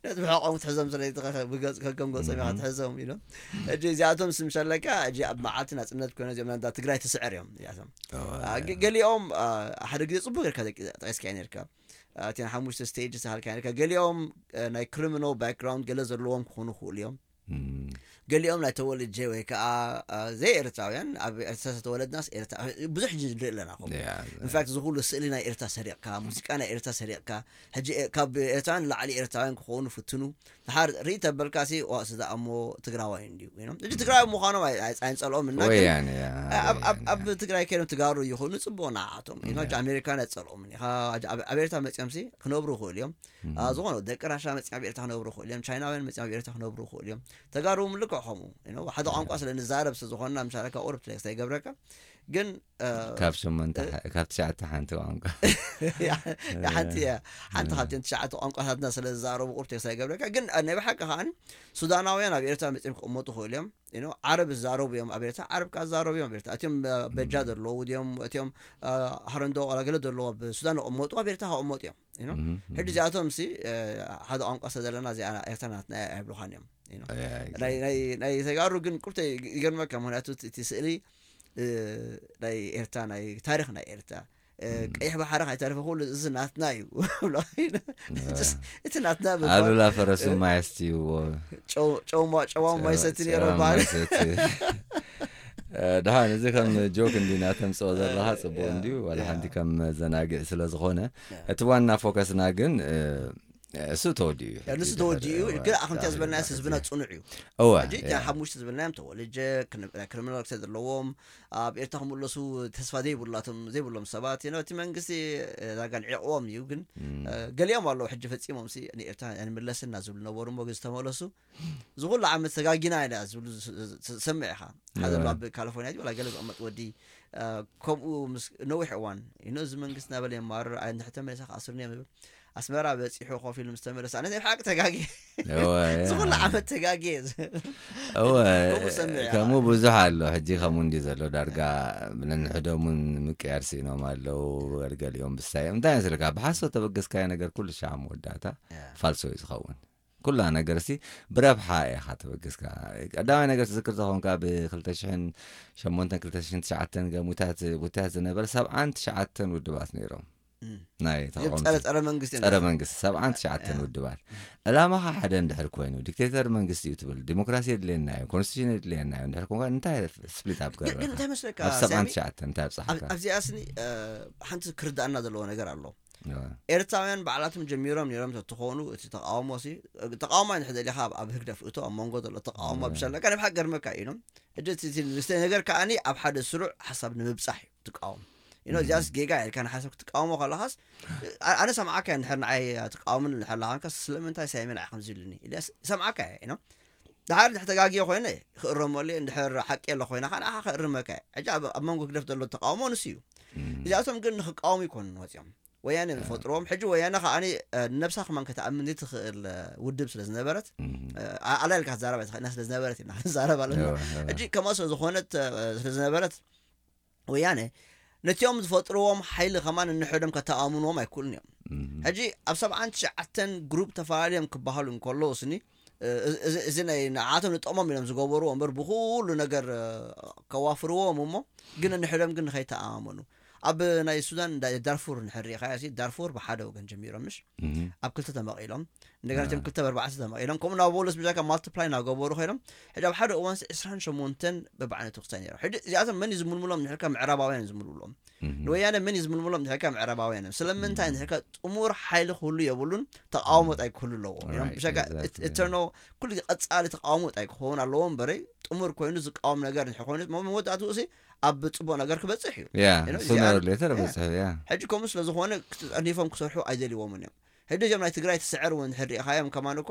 ነቲ ብሕቆም ክትሕዞም ስለ ብገጽ ከም ገጾም ኢኻ ትሕዞም ኢሎም እጂ እዚኣቶም ስምሸለካ እጂ ኣብ መዓልቲ ናጽነት ኮይነ እዚኦም ናዳ ትግራይ ትስዕር እዮም እዚኣቶም ገሊኦም ሓደ ግዜ ጽቡቅ ጌርካ ጠቂስካ ነርካ እቲ ሓሙሽተ ስቴጅ ዝሃልካ ነርካ ገሊኦም ናይ ክሪሚናል ባክግራውንድ ገለ ዘለዎም ክኾኑ ክኽእሉ እዮም ገሊኦም ናይ ተወልጀ ወይ ከዓ ዘይኤርትራውያን ኣብ ኤርትራ ዝተወለድናስ ብዙሕ ሕጂ ንርኢ ኣለና ኹም ኢንፋክት ዝኩሉ ስእሊ ናይ ኤርትራ ሰሪቕካ ሙዚቃ ናይ ኤርትራ ሰሪቕካ ሕጂ ካብ ኤርትራውያን ንላዕሊ ኤርትራውያን ክኸውን ፍትኑ ድሓር ርኢ ተበልካ ሲ ዋእስ ዝኣሞ ትግራዋይ እንዲዩ ሕጂ ትግራዊ ምዃኖም ኣይፀልኦም እና ኣብ ትግራይ ከይኖም ትጋሩ ይኹኑ ፅቡቅ ንዓቶም ኣሜሪካን ኣይፀልኦምን ኢኻ ኣብ ኤርትራ መፅኦም ሲ ክነብሩ ይኽእሉ እዮም ዝኾነ ደቂ ራሻ መፅኦም ኣብ ኤርትራ ክነብሩ ይኽእሉ እዮም ቻይናውያን መፅኦም ኣብ ኤርትራ ክነብሩ ይኽእሉ እዮም ተጋሩ ምልክዕ ከምኡ ሓደ ቋንቋ ስለ ንዛረብ ስለ ዝኾንና ምሻለካ ቁርብ ትለክስ ኣይገብረካ ግን ካብ ሸሞንተ ካብ ትሽዓተ ሓንቲ ቋንቋ ሓንቲ ሓንቲ ካብተን ትሽዓተ ቋንቋታትና ስለ ዝዛረቡ ቁርብ ትለክስ ኣይገብረካ ግን ናይ ብሓቂ ከዓን ሱዳናውያን ኣብ ኤርትራ መፅኦም ክቕመጡ ይኽእሉ እዮም ዓረብ ዝዛረቡ እዮም ኣብ ኤርትራ ዓረብ ከዓ ዝዛረቡ እዮም ኣብ ኤርትራ እቲኦም በጃ ዘለዉ ድዮም እቲኦም ሃረንዶ ቆላገለ ዘለዉ ኣብ ሱዳን ክቕመጡ ኣብ ኤርትራ ክቕመጡ እዮም ሕጂ እዚኣቶም ሲ ሓደ ቋንቋ ስለ ዘለና እዚኣ ኤርትራ ናትና ኣይብሉኻን እዮም ናይ ተጋሩ ግን ቁርተ ይገርመካ ምክንያቱ እቲ ስእሊ ናይ ኤርትራ ናይ ታሪክ ናይ ኤርትራ ቀይሕ ባሕሪ ካይተረፈ ኩሉ እዚ ናትና እዩ እቲ ናትና ኣሉላ ፈረሱ ማየስትይዎ ጨዋ ማይሰቲ ነይሮ ባህል ደሓን እዚ ከም ጆክ እንዲና ተምፅኦ ዘለካ ፅቡቅ እንድዩ ዋላ ሓንቲ ከም መዘናግዒ ስለ ዝኾነ እቲ ዋና ፎከስና ግን እሱ ተወዲኡ እዩ ንሱ ተወዲኡ እዩ ግን ኣኸምቲ ዝበልናዮ ህዝብና ፅኑዕ እዩ እወ ሕጂ እቲያ ሓሙሽተ ዝበልናዮም ተወልጀ ክሪሚናል ክሰ ዘለዎም ኣብ ኤርትራ ክምለሱ ተስፋ ዘይብላቶም ዘይብሎም ሰባት እቲ መንግስቲ ዳጋ ልዒቕዎም እዩ ግን ገሊኦም ኣለዉ ሕጂ ፈፂሞም ሲ ንኤርትራ ንምለስና ዝብሉ ነበሩ እሞ ዝተመለሱ ዝኩሉ ዓመት ተጋጊና ኢና ዝብሉ ዝሰምዕ ኢኻ ሓደ ኣብ ካሊፎርኒያ ወላ ገለ ዝቕመጥ ወዲ ከምኡ ምስ ነዊሕ እዋን ይኖ እዚ መንግስት ናበለ የማርር ኣይ ንድሕተ መለሳ ክኣስርኒ እዮም ዝብል ኣስመራ በፂሑ ኮፍ ኢሉ ምስ ተመለሰ ኣነ ናይ ብሓቂ ተጋጊ ዝኩሉ ዓመት ተጋጊ እወ ከምኡ ብዙሕ ኣሎ ሕጂ ከምኡ እንዲ ዘሎ ዳርጋ ነንሕዶም እውን ምቅያር ስኢኖም ኣለዉ ገሊኦም ብሳዮም እንታይ መስለካ ብሓሶት ተበገስካዮ ነገር ኩሉ ሻዕ መወዳእታ ፋልሶ እዩ ዝኸውን ኩላ ነገር ሲ ብረብሓ ኢኻ ተበገስካ ቀዳማይ ነገር ትዝክር ተኾንካ ብ ክልተ ሽሕን ሸሞንተን ክልተ ሽሕን ትሽዓተን ገሙታት ውታት ዝነበረ ሰብዓን ትሽዓተን ውድባት ነይሮም ናይ ተቃውሞ ጸረ ጸረ መንግስቲ ጸረ መንግስቲ ሰብዓን ትሽዓተን ውድባት ዕላማኻ ሓደ እንድሕር ኮይኑ ዲክቴተር መንግስቲ እዩ ትብል ዲሞክራሲ የድልየና እዩ ኮንስቲቱሽን የድልየና እዩ እንድሕር ኮንካ እንታይ ስፕሊት ኣፕ ግን ገርበካ እንታይ መስለካ ኣብ ሰብዓን ሳሚ ትሽዓተን እንታይ ኣብፅሓካ ኣብዚኣ ስኒ ሓንቲ ክርዳእና ዘለዎ ነገር ኣሎ እዋ። ኤርትራውያን ባዕላቶም ጀሚሮም ነይሮም ተትኾኑ እቲ ተቃውሞ ሲ ተቃውሞ እንድሕር ደሊኻ ኣብ- ኣብ ህግደፍ እቶ ኣብ መንጎ ዘሎ ተቃውሞ ብሸለካ ናይ ብሓቂ ገርመካ እዩ ኢሎም ሕጂ እቲ- እቲ ዝስተ ነገር ከዓኒ ኣብ ሓደ ስሩዕ ሓሳብ ንምብፃሕ እዩ ትቃወም ኢኖ እዚኣስ ጌጋ ኢልካ ንሓሳብ ክትቃወሞ ከለኻስ ኣ- ኣነ ሰምዓካ እየ እንድሕር ንዓይ ትቃወምን እንድሕር ለኻንካ ስለምንታይ ሳይመን ኣይ ከምዚ ኢሉኒ ኢልያስ ሰምዓካ እየ ኢኖ ድሓር እንድሕር ተጋግዮ ኮይነ ክእረመሉ እየ እንድሕር ሓቂ የለ ኮይና ከዓ ንዓኻ ክእርመካ እየ ሕጂ ኣብ ኣብ መንጎ ህግደፍ ዘሎ ተቃውሞ ንሱ እዩ እዚኣቶም ግን ንክቃወሙ ይኮኑን ወፂኦም ወያነ ዝፈጥርዎም ሕጂ ወያነ ከዓ ነብሳ ከማን ከተኣምን ዘይትኽእል ውድብ ስለ ዝነበረት ኣላ ኢልካ ክትዛረብ ኣይትኽእልና ስለ ዝነበረት ኢና ክንዛረብ ኣለና ሕጂ ከምኣ ስለ ዝኾነት ስለ ዝነበረት ወያነ ነቲኦም ዝፈጥርዎም ሓይሊ ከማን እንሕዶም ከተኣምንዎም ኣይክእሉን እዮም ሕጂ ኣብ ሰብዓን ትሽዓተን ግሩፕ ተፈላለዮም ክበሃሉ እንከለዉ ስኒ እዚ ናይ ንዓቶም ንጠቕሞም ኢሎም ዝገበርዎ እምበር ብኩሉ ነገር ከዋፍርዎም እሞ ግን እንሕዶም ግን ንኸይተኣማመኑ ኣብ ናይ ሱዳን ዳርፉር ንሕር ሪኢኻዮ ዳርፉር ብሓደ ወገን ጀሚሮም ምሽ ኣብ ክልተ ተመቒሎም እንደገና ቶም ክልተ በርባዕተ ተመቒሎም ከምኡ ናብ ቦለስ ብዛካ ማልቲፕላይ እናገበሩ ኮይኖም ሕጂ ኣብ ሓደ እዋን ዕስራን ሸሞንተን በብዓይነቱ ክስታይ ነይሮም ሕጂ እዚኣቶም መን እዩ ዝምልምሎም ንሕልካ ምዕራባውያን ዝምልምሎም ንወያነ መን እዩ ዝምልምሎም ንሕልካ ምዕራባውያን እዮም ስለምንታይ ንሕልካ ጥሙር ሓይሊ ክህሉ የብሉን ተቃውሞ ጣይ ክህሉ ኣለዎ ብሸካ እተርኖ ኩሉ ቀፃሊ ተቃውሞ ጣይ ክኸውን ኣለዎ እምበረይ ጥሙር ኮይኑ ዝቃወም ነገር ንሕ ኮይኑ መወዳእትኡ ሲ ኣብ ፅቡቅ ነገር ክበፅሕ እዩ ያ ሶነር ሌተር በፅሕ ያ ሕጂ ከምኡ ስለዝኾነ ክፀኒፎም ክሰርሑ ኣይደልዎምን እዮም ሕጂ እዚኦም ናይ ትግራይ ትስዕር እውን ሕር ሪኢኻዮም ከማን እኮ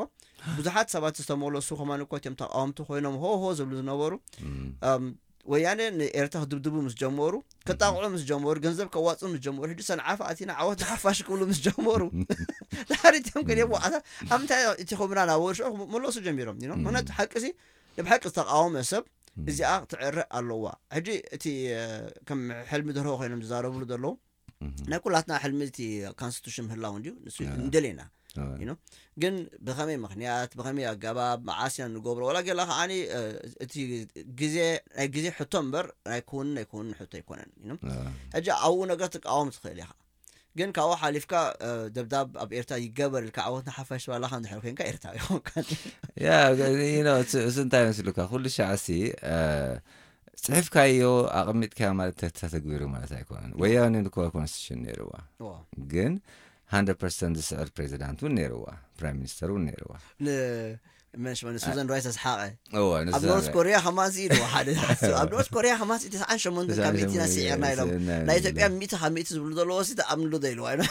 ብዙሓት ሰባት ዝተመለሱ ከማን እኮ እቲኦም ተቃወምቲ ኮይኖም ሆ ሆ ዝብሉ ዝነበሩ ወያነ ንኤርትራ ክድብድቡ ምስ ጀመሩ ክጣቕዑ ምስ ጀመሩ ገንዘብ ከዋፅኡ ምስ ጀመሩ ሕጂ ሰንዓፈ ኣቲና ዓወት ንሓፋሽ ክብሉ ምስ ጀመሩ ድሓር እቲኦም ግን የዋኣታ ኣብ ምንታይ እቲ ኹምና ናብ ወርሾ መለሱ ጀሚሮም ምክንያቱ ሓቂ ሲ ንብሓቂ ዝተቃወመ ሰብ እዚኣ ትዕረ ኣለዋ ሕጂ እቲ ከም ሕልሚ ደርሆ ኮይኖም ዝዛረብሉ ዘለዉ ናይ ኩላትና ሕልሚ እቲ ኮንስቲቱሽን ምህላው እንድዩ ንሱ እንደሌና ግን ብኸመይ ምክንያት ብኸመይ ኣገባብ መዓስ ኢና ንገብሮ ወላ ገላ ከዓኒ እቲ ግዜ ናይ ግዜ ሕቶ እምበር ናይ ክውንን ናይ ክውንን ሕቶ ኣይኮነን ሕጂ ኣብኡ ነገር ትቃወም ትኽእል ኢኻ ግን ካብኡ ሓሊፍካ ደብዳብ ኣብ ኤርትራ ይገበር ኢልካ ዓወት ንሓፋሽ ባላኻ እንድሕር ኮንካ ኤርትራዊ ይኾንካ ያ እዚ እንታይ መስሉካ ኩሉ ሻዕሲ ፅሒፍካዮ ኣቐሚጥካዮ ማለት ተተግቢሩ ማለት ኣይኮነን ወያነ ንኮ ኮንስቲቱሽን ነይርዋ ግን 100 ፐርሰንት ዝስዕር ፕሬዚዳንት እውን ነይርዋ ፕራይም ሚኒስተር እውን ነይርዋ መሽመን ሱዘን ራይስ ኣስሓቐ ኣብ ኖርት ኮሪያ ከማን ኢሉ ሓደ ኣብ ኖርት ኮሪያ ከማን ተስዓን ሸሞንተን ካብ ሚእቲ ኢና ስዒርና ኢሎም ናይ ኢትዮጵያ ሚእቲ ካብ ሚእቲ ዝብሉ ዘለዎ ሲ ተኣምንሉ ዘይልዋ ኢና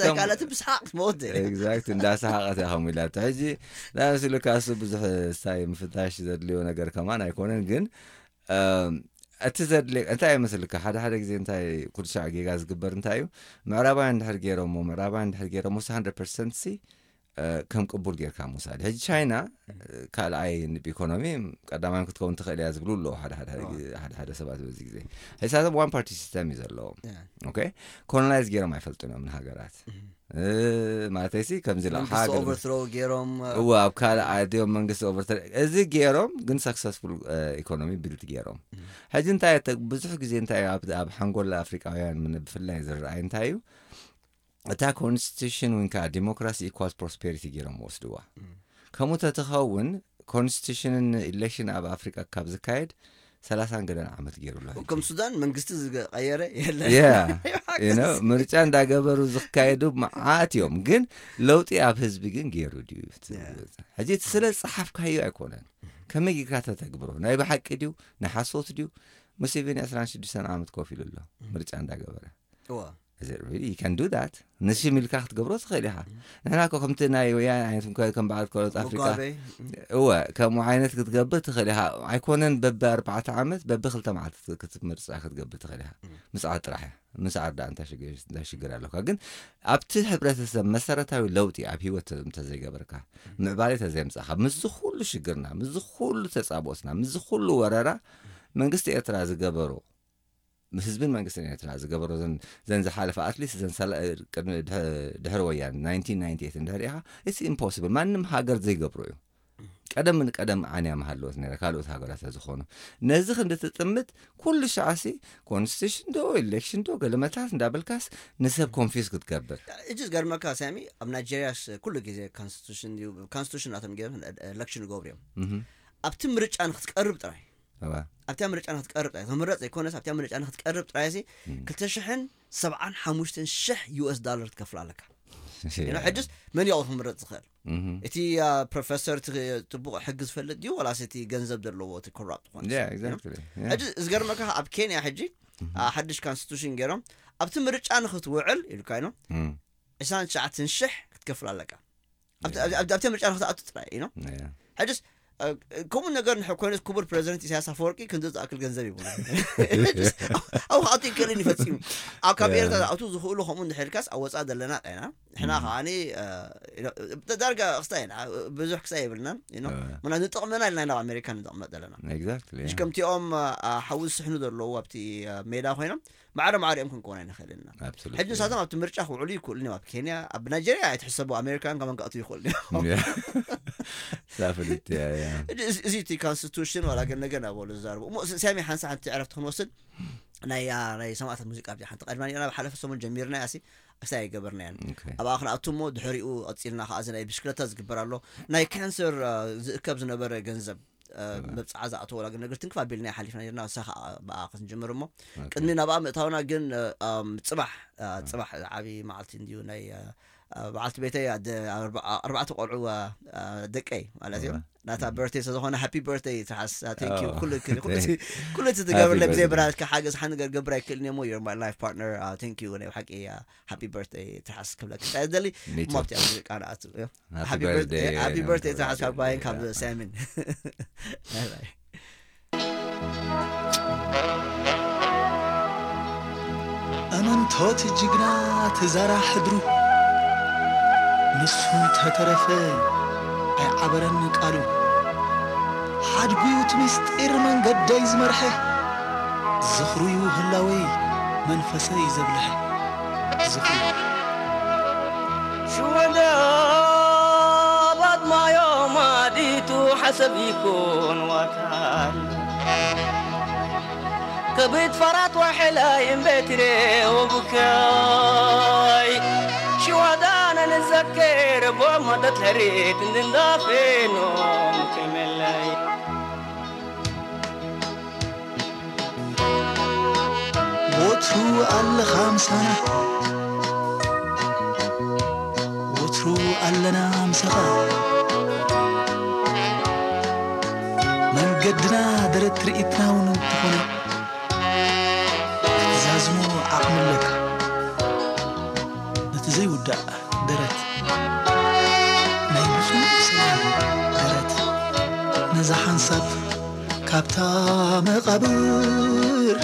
ሳይካላት ብስሓቅ ትመወት ኤግዛክት እንዳሰሓቀት እያ ከም ኢላቶ ሕጂ ናምስሉ ካሱ ብዙሕ ስታይ ምፍታሽ ዘድልዮ ነገር ከማን ኣይኮነን ግን እቲ ዘድልየ እንታይ ይመስልካ ሓደ ሓደ ግዜ እንታይ ኩልሻዕ ጌጋ ዝግበር እንታይ እዩ ምዕራባውያን እንድሕር ገይሮሞ ምዕራባውያን እንድሕር ገይሮሞ ሲ 100 ፐርሰንት ሲ ከም ቅቡል ጌርካ ምውሳድ ሕጂ ቻይና ካልኣይ ንብ ኢኮኖሚ ቀዳማይ ክትከውን ትኽእል እያ ዝብሉ ኣለዉ ሓደ ሓደ ሰባት በዚ ግዜ ሕሳቶም ዋን ፓርቲ ሲስተም እዩ ዘለዎም ኦኬ ኮሎናይዝ ገይሮም ኣይፈልጡን እዮም ንሃገራት ማለተይሲ ከምዚ ለሓ ኦቨርትሮ ገይሮም እወ ኣብ ካልእ ዓዲዮም መንግስቲ ኦቨርተ እዚ ገይሮም ግን ሰክሰስፉል ኢኮኖሚ ቢልድ ገይሮም ሕጂ እንታይ ብዙሕ ግዜ እንታይ ኣብ ሓንጎል ኣፍሪቃውያን ብፍላይ ዝረኣይ እንታይ እዩ እታ ኮንስቲቱሽን ወይ ከዓ ዲሞክራሲ ኢኳልስ ፕሮስፔሪቲ ገይሮም ወስድዋ ከምኡ ተትኸውን ኮንስቲቱሽንን ኢሌክሽን ኣብ ኣፍሪቃ ካብ ዝካየድ ሰላሳን ገለን ዓመት ገይሩ ኣሎ ሕጂ። ከም ሱዳን መንግስቲ ዝቀየረ የለን ያ you know፣ ምርጫ እንዳገበሩ ዝካየዱ መዓት እዮም፣ ግን ለውጢ ኣብ ህዝቢ ግን ገይሩ ድዩ? ሕጂ እቲ ስለ ዝፀሓፍካዮ ኣይኮነን፣ ከመይ ጌርካ ተተግብሮ፣ ናይ ብሓቂ ድዩ፣ ናይ ሓሶት ድዩ? ሙሴቬኒ ዕስራን ሽዱሽተን ዓመት ኮፍ ኢሉ ኣሎ ምርጫ እንዳገበረ። እዋ Is it really? You can do that? ንሽም ኢልካ ክትገብሮ ትኽእል ኢኻ። ንሕና እኮ ከምቲ ናይ ወያነ ዓይነት እንኮ ከም በዓል ካልኦት ኣፍሪቃ ሙጋቤ እወ ከምኡ ዓይነት ክትገብር ትኽእል ኢኻ። ኣይኮነን በቢ ኣርባዕተ ዓመት በቢ ክልተ መዓልቲ ክትምርፃ ክትገብር ትኽእል ኢኻ። ምስዓር ጥራሕ እያ። ምስዓር ዳ እንታይ ሽግር እንታይ ሽግር ኣለካ? ግን ኣብቲ ሕብረተሰብ መሰረታዊ ለውጢ ኣብ ህይወት እንተዘይገበርካ ምዕባለ እንተዘየምፃእካ ምስዚ ኩሉ ሽግርና ምስዚ ኩሉ ተፃብኦትና ምስዚ ኩሉ ወረራ መንግስቲ ኤርትራ ዝገበሮ ህዝብን መንግስትን ኤርትራ ዝገበሮ ዘን ዝሓለፈ ኣትሊስት ዘን ድሕሪ ወያን ናይንቲን ናይንቲ ኤይት እንድሕር ኢኻ it's impossible ማንም ሃገር ዘይገብሮ እዩ። ቀደም ንቀደም ዓንያ ምሃለወት ነረ ካልኦት ሃገራት ዝኾኑ ነዚ ክንዲ ትጥምት ኩሉ ሻዕሲ ኮንስቲቱሽን ዶ ኤሌክሽን ዶ ገለመታት እንዳበልካስ ንሰብ ኮንፊዝ ክትገብር። እጅ ዝገርመካ ሳሚ፣ ኣብ ናይጀሪያስ ኩሉ ግዜ ኮንስቲቱሽን እዩ፣ ኮንስቲቱሽን ናቶም ገይሮም ኤሌክሽን ይገብሩ እዮም። ኣብቲ ምርጫ ንክትቀርብ ጥራይ ኣብታ ምርጫ ንክትቀርብ ጥራይ ትምረፅ ዘይኮነስ ኣብታ ምርጫ ንክትቀርብ ጥራይ ሲ ክልተ ሽሕን ሰብዓን ሓሙሽተን ሽሕ ዩኤስ ዳለር ትከፍል ኣለካ። ሕጅስ መን ያው ክምረፅ ዝኽእል እቲ ፕሮፌሰር ጥቡቕ ሕጊ ዝፈልጥ ድዩ ወላስ እቲ ገንዘብ ዘለዎ እቲ ኮራፕት ዝኾነ ሕጂ ዝገርመካ ኣብ ኬንያ ሕጂ ሓድሽ ኮንስቲቱሽን ገይሮም ኣብቲ ምርጫ ንክትውዕል ኢሉካ ኢኖ ዕስራን ትሽዓተን ሽሕ ክትከፍል ኣለካ ኣብቲ ምርጫ ንክትኣቱ ጥራይ ኢኖ ሕጅስ ከምኡ ነገር ንሕ ኮይነስ ክቡር ፕሬዚደንት ኢሳያስ ኣፈወርቂ ክንዚ ዝኣክል ገንዘብ ይብሉ ኣብ ክኣቱ ይክእልን ይፈፂሙ ኣብ ካብ ኤርትራ ዝኣቱ ዝኽእሉ ከምኡ እንድሕልካስ ኣብ ወፃእ ዘለና ጣይና ንሕና ከዓኒ ዳርጋ ክስታይ ኢና ብዙሕ ክስታይ የብልናን ምና ንጥቕመና ኢልና ናብ ኣሜሪካ ንጥቕመጥ ዘለና ከምቲኦም ሓዊ ዝስሕኑ ዘለዉ ኣብቲ ሜዳ ኮይኖም ማዕረ ማዕሪኦም ክንከውን ኣይንኽእልን ኢና ሕጂ ንሳቶም ኣብቲ ምርጫ ክውዕሉ ይክእሉ እዮም ኣብ ኬንያ ኣብ ናይጀሪያ ኣይትሕሰቡ ኣሜሪካን ከመን ክኣትዉ ይክእሉ እዮም ሳፍልት እዚ እቲ ኮንስቲቱሽን ዋላ ግን ነገር ናበሉ ዝዛርቡ እሞ ስያሜ ሓንሳ ሓንቲ ዕረፍቲ ክንወስድ ናይ ናይ ሰማእታት ሙዚቃ ብዚ ሓንቲ ቀድማ ናብ ሓለፈ ሰሙን ጀሚርና ያሲ ኣስታ ኣይገበርናያን ኣብኣ ክንኣቱ እሞ ድሕሪኡ ቀፂልና ከዓ እዚ ናይ ብሽክለታ ዝግበር ኣሎ ናይ ካንሰር ዝእከብ ዝነበረ ገንዘብ መብፅዓ ዝኣተወላ ግን ነገር ትንክፍ ኣቢልና ሓሊፍና ነርና ንሳ ከዓ ብኣ ክንጅምር እሞ ቅድሚ ናብኣ ምእታውና ግን ፅባሕ ፅባሕ ዓብዪ መዓልቲ እንድዩ ናይ በዓልቲ ቤተይ ኣርባዕተ ቆልዑ ደቀይ ማለት እዩ ናታ በርቴ ስለዝኾነ ሃፒ በርቴ ትሓስ ኩሉ እቲ ትገብርለ ብዘይ ብራትካ ሓገዝ ሓንገር ገብር ኣይክእልን እሞ your my life partner thank you ናይ ሓቂ ሃፒ በርቴ ትሓስ ክብለካ ደሊ ሞብቲ ሙዚቃ ንኣቱ ሃፒ በርቴ ትሓስ ካብ ጓይን ካብ ሳሚን እመንቶት ጅግና ተዛራ ሕድሩ ንሱ እንተተረፈ ኣይዓበረን ቃሉ ሓድጉዩ እቲ ምስጢር መንገደይ ዝመርሐ ዝኽሩዩ ህላወይ መንፈሰይ ዘብልሐ ዝኽሩ ሽወዳ ባጥማዮ ማዲቱ ሓሰብ ይኩን ዋታል ከብት ፈራት ወሐላይ እምበትሬ ወቡካይ ሽዋዳና ንዘከር ቦማደት ለሬት እንድንዳፌኖ ከመላይ ወትሩ ኣለኻ ምሳና ወትሩ ኣለና ምሳኻ መንገድና ደረት ትርኢትና እውን እንተኾነ ክትዛዝሞ ዓቕሚ ኣለካ ነቲ ዘይውዳእ ደረት ናይ ንጹህ ሰላም ደረት ነዛ ሓንሳብ ካብታ መቓብር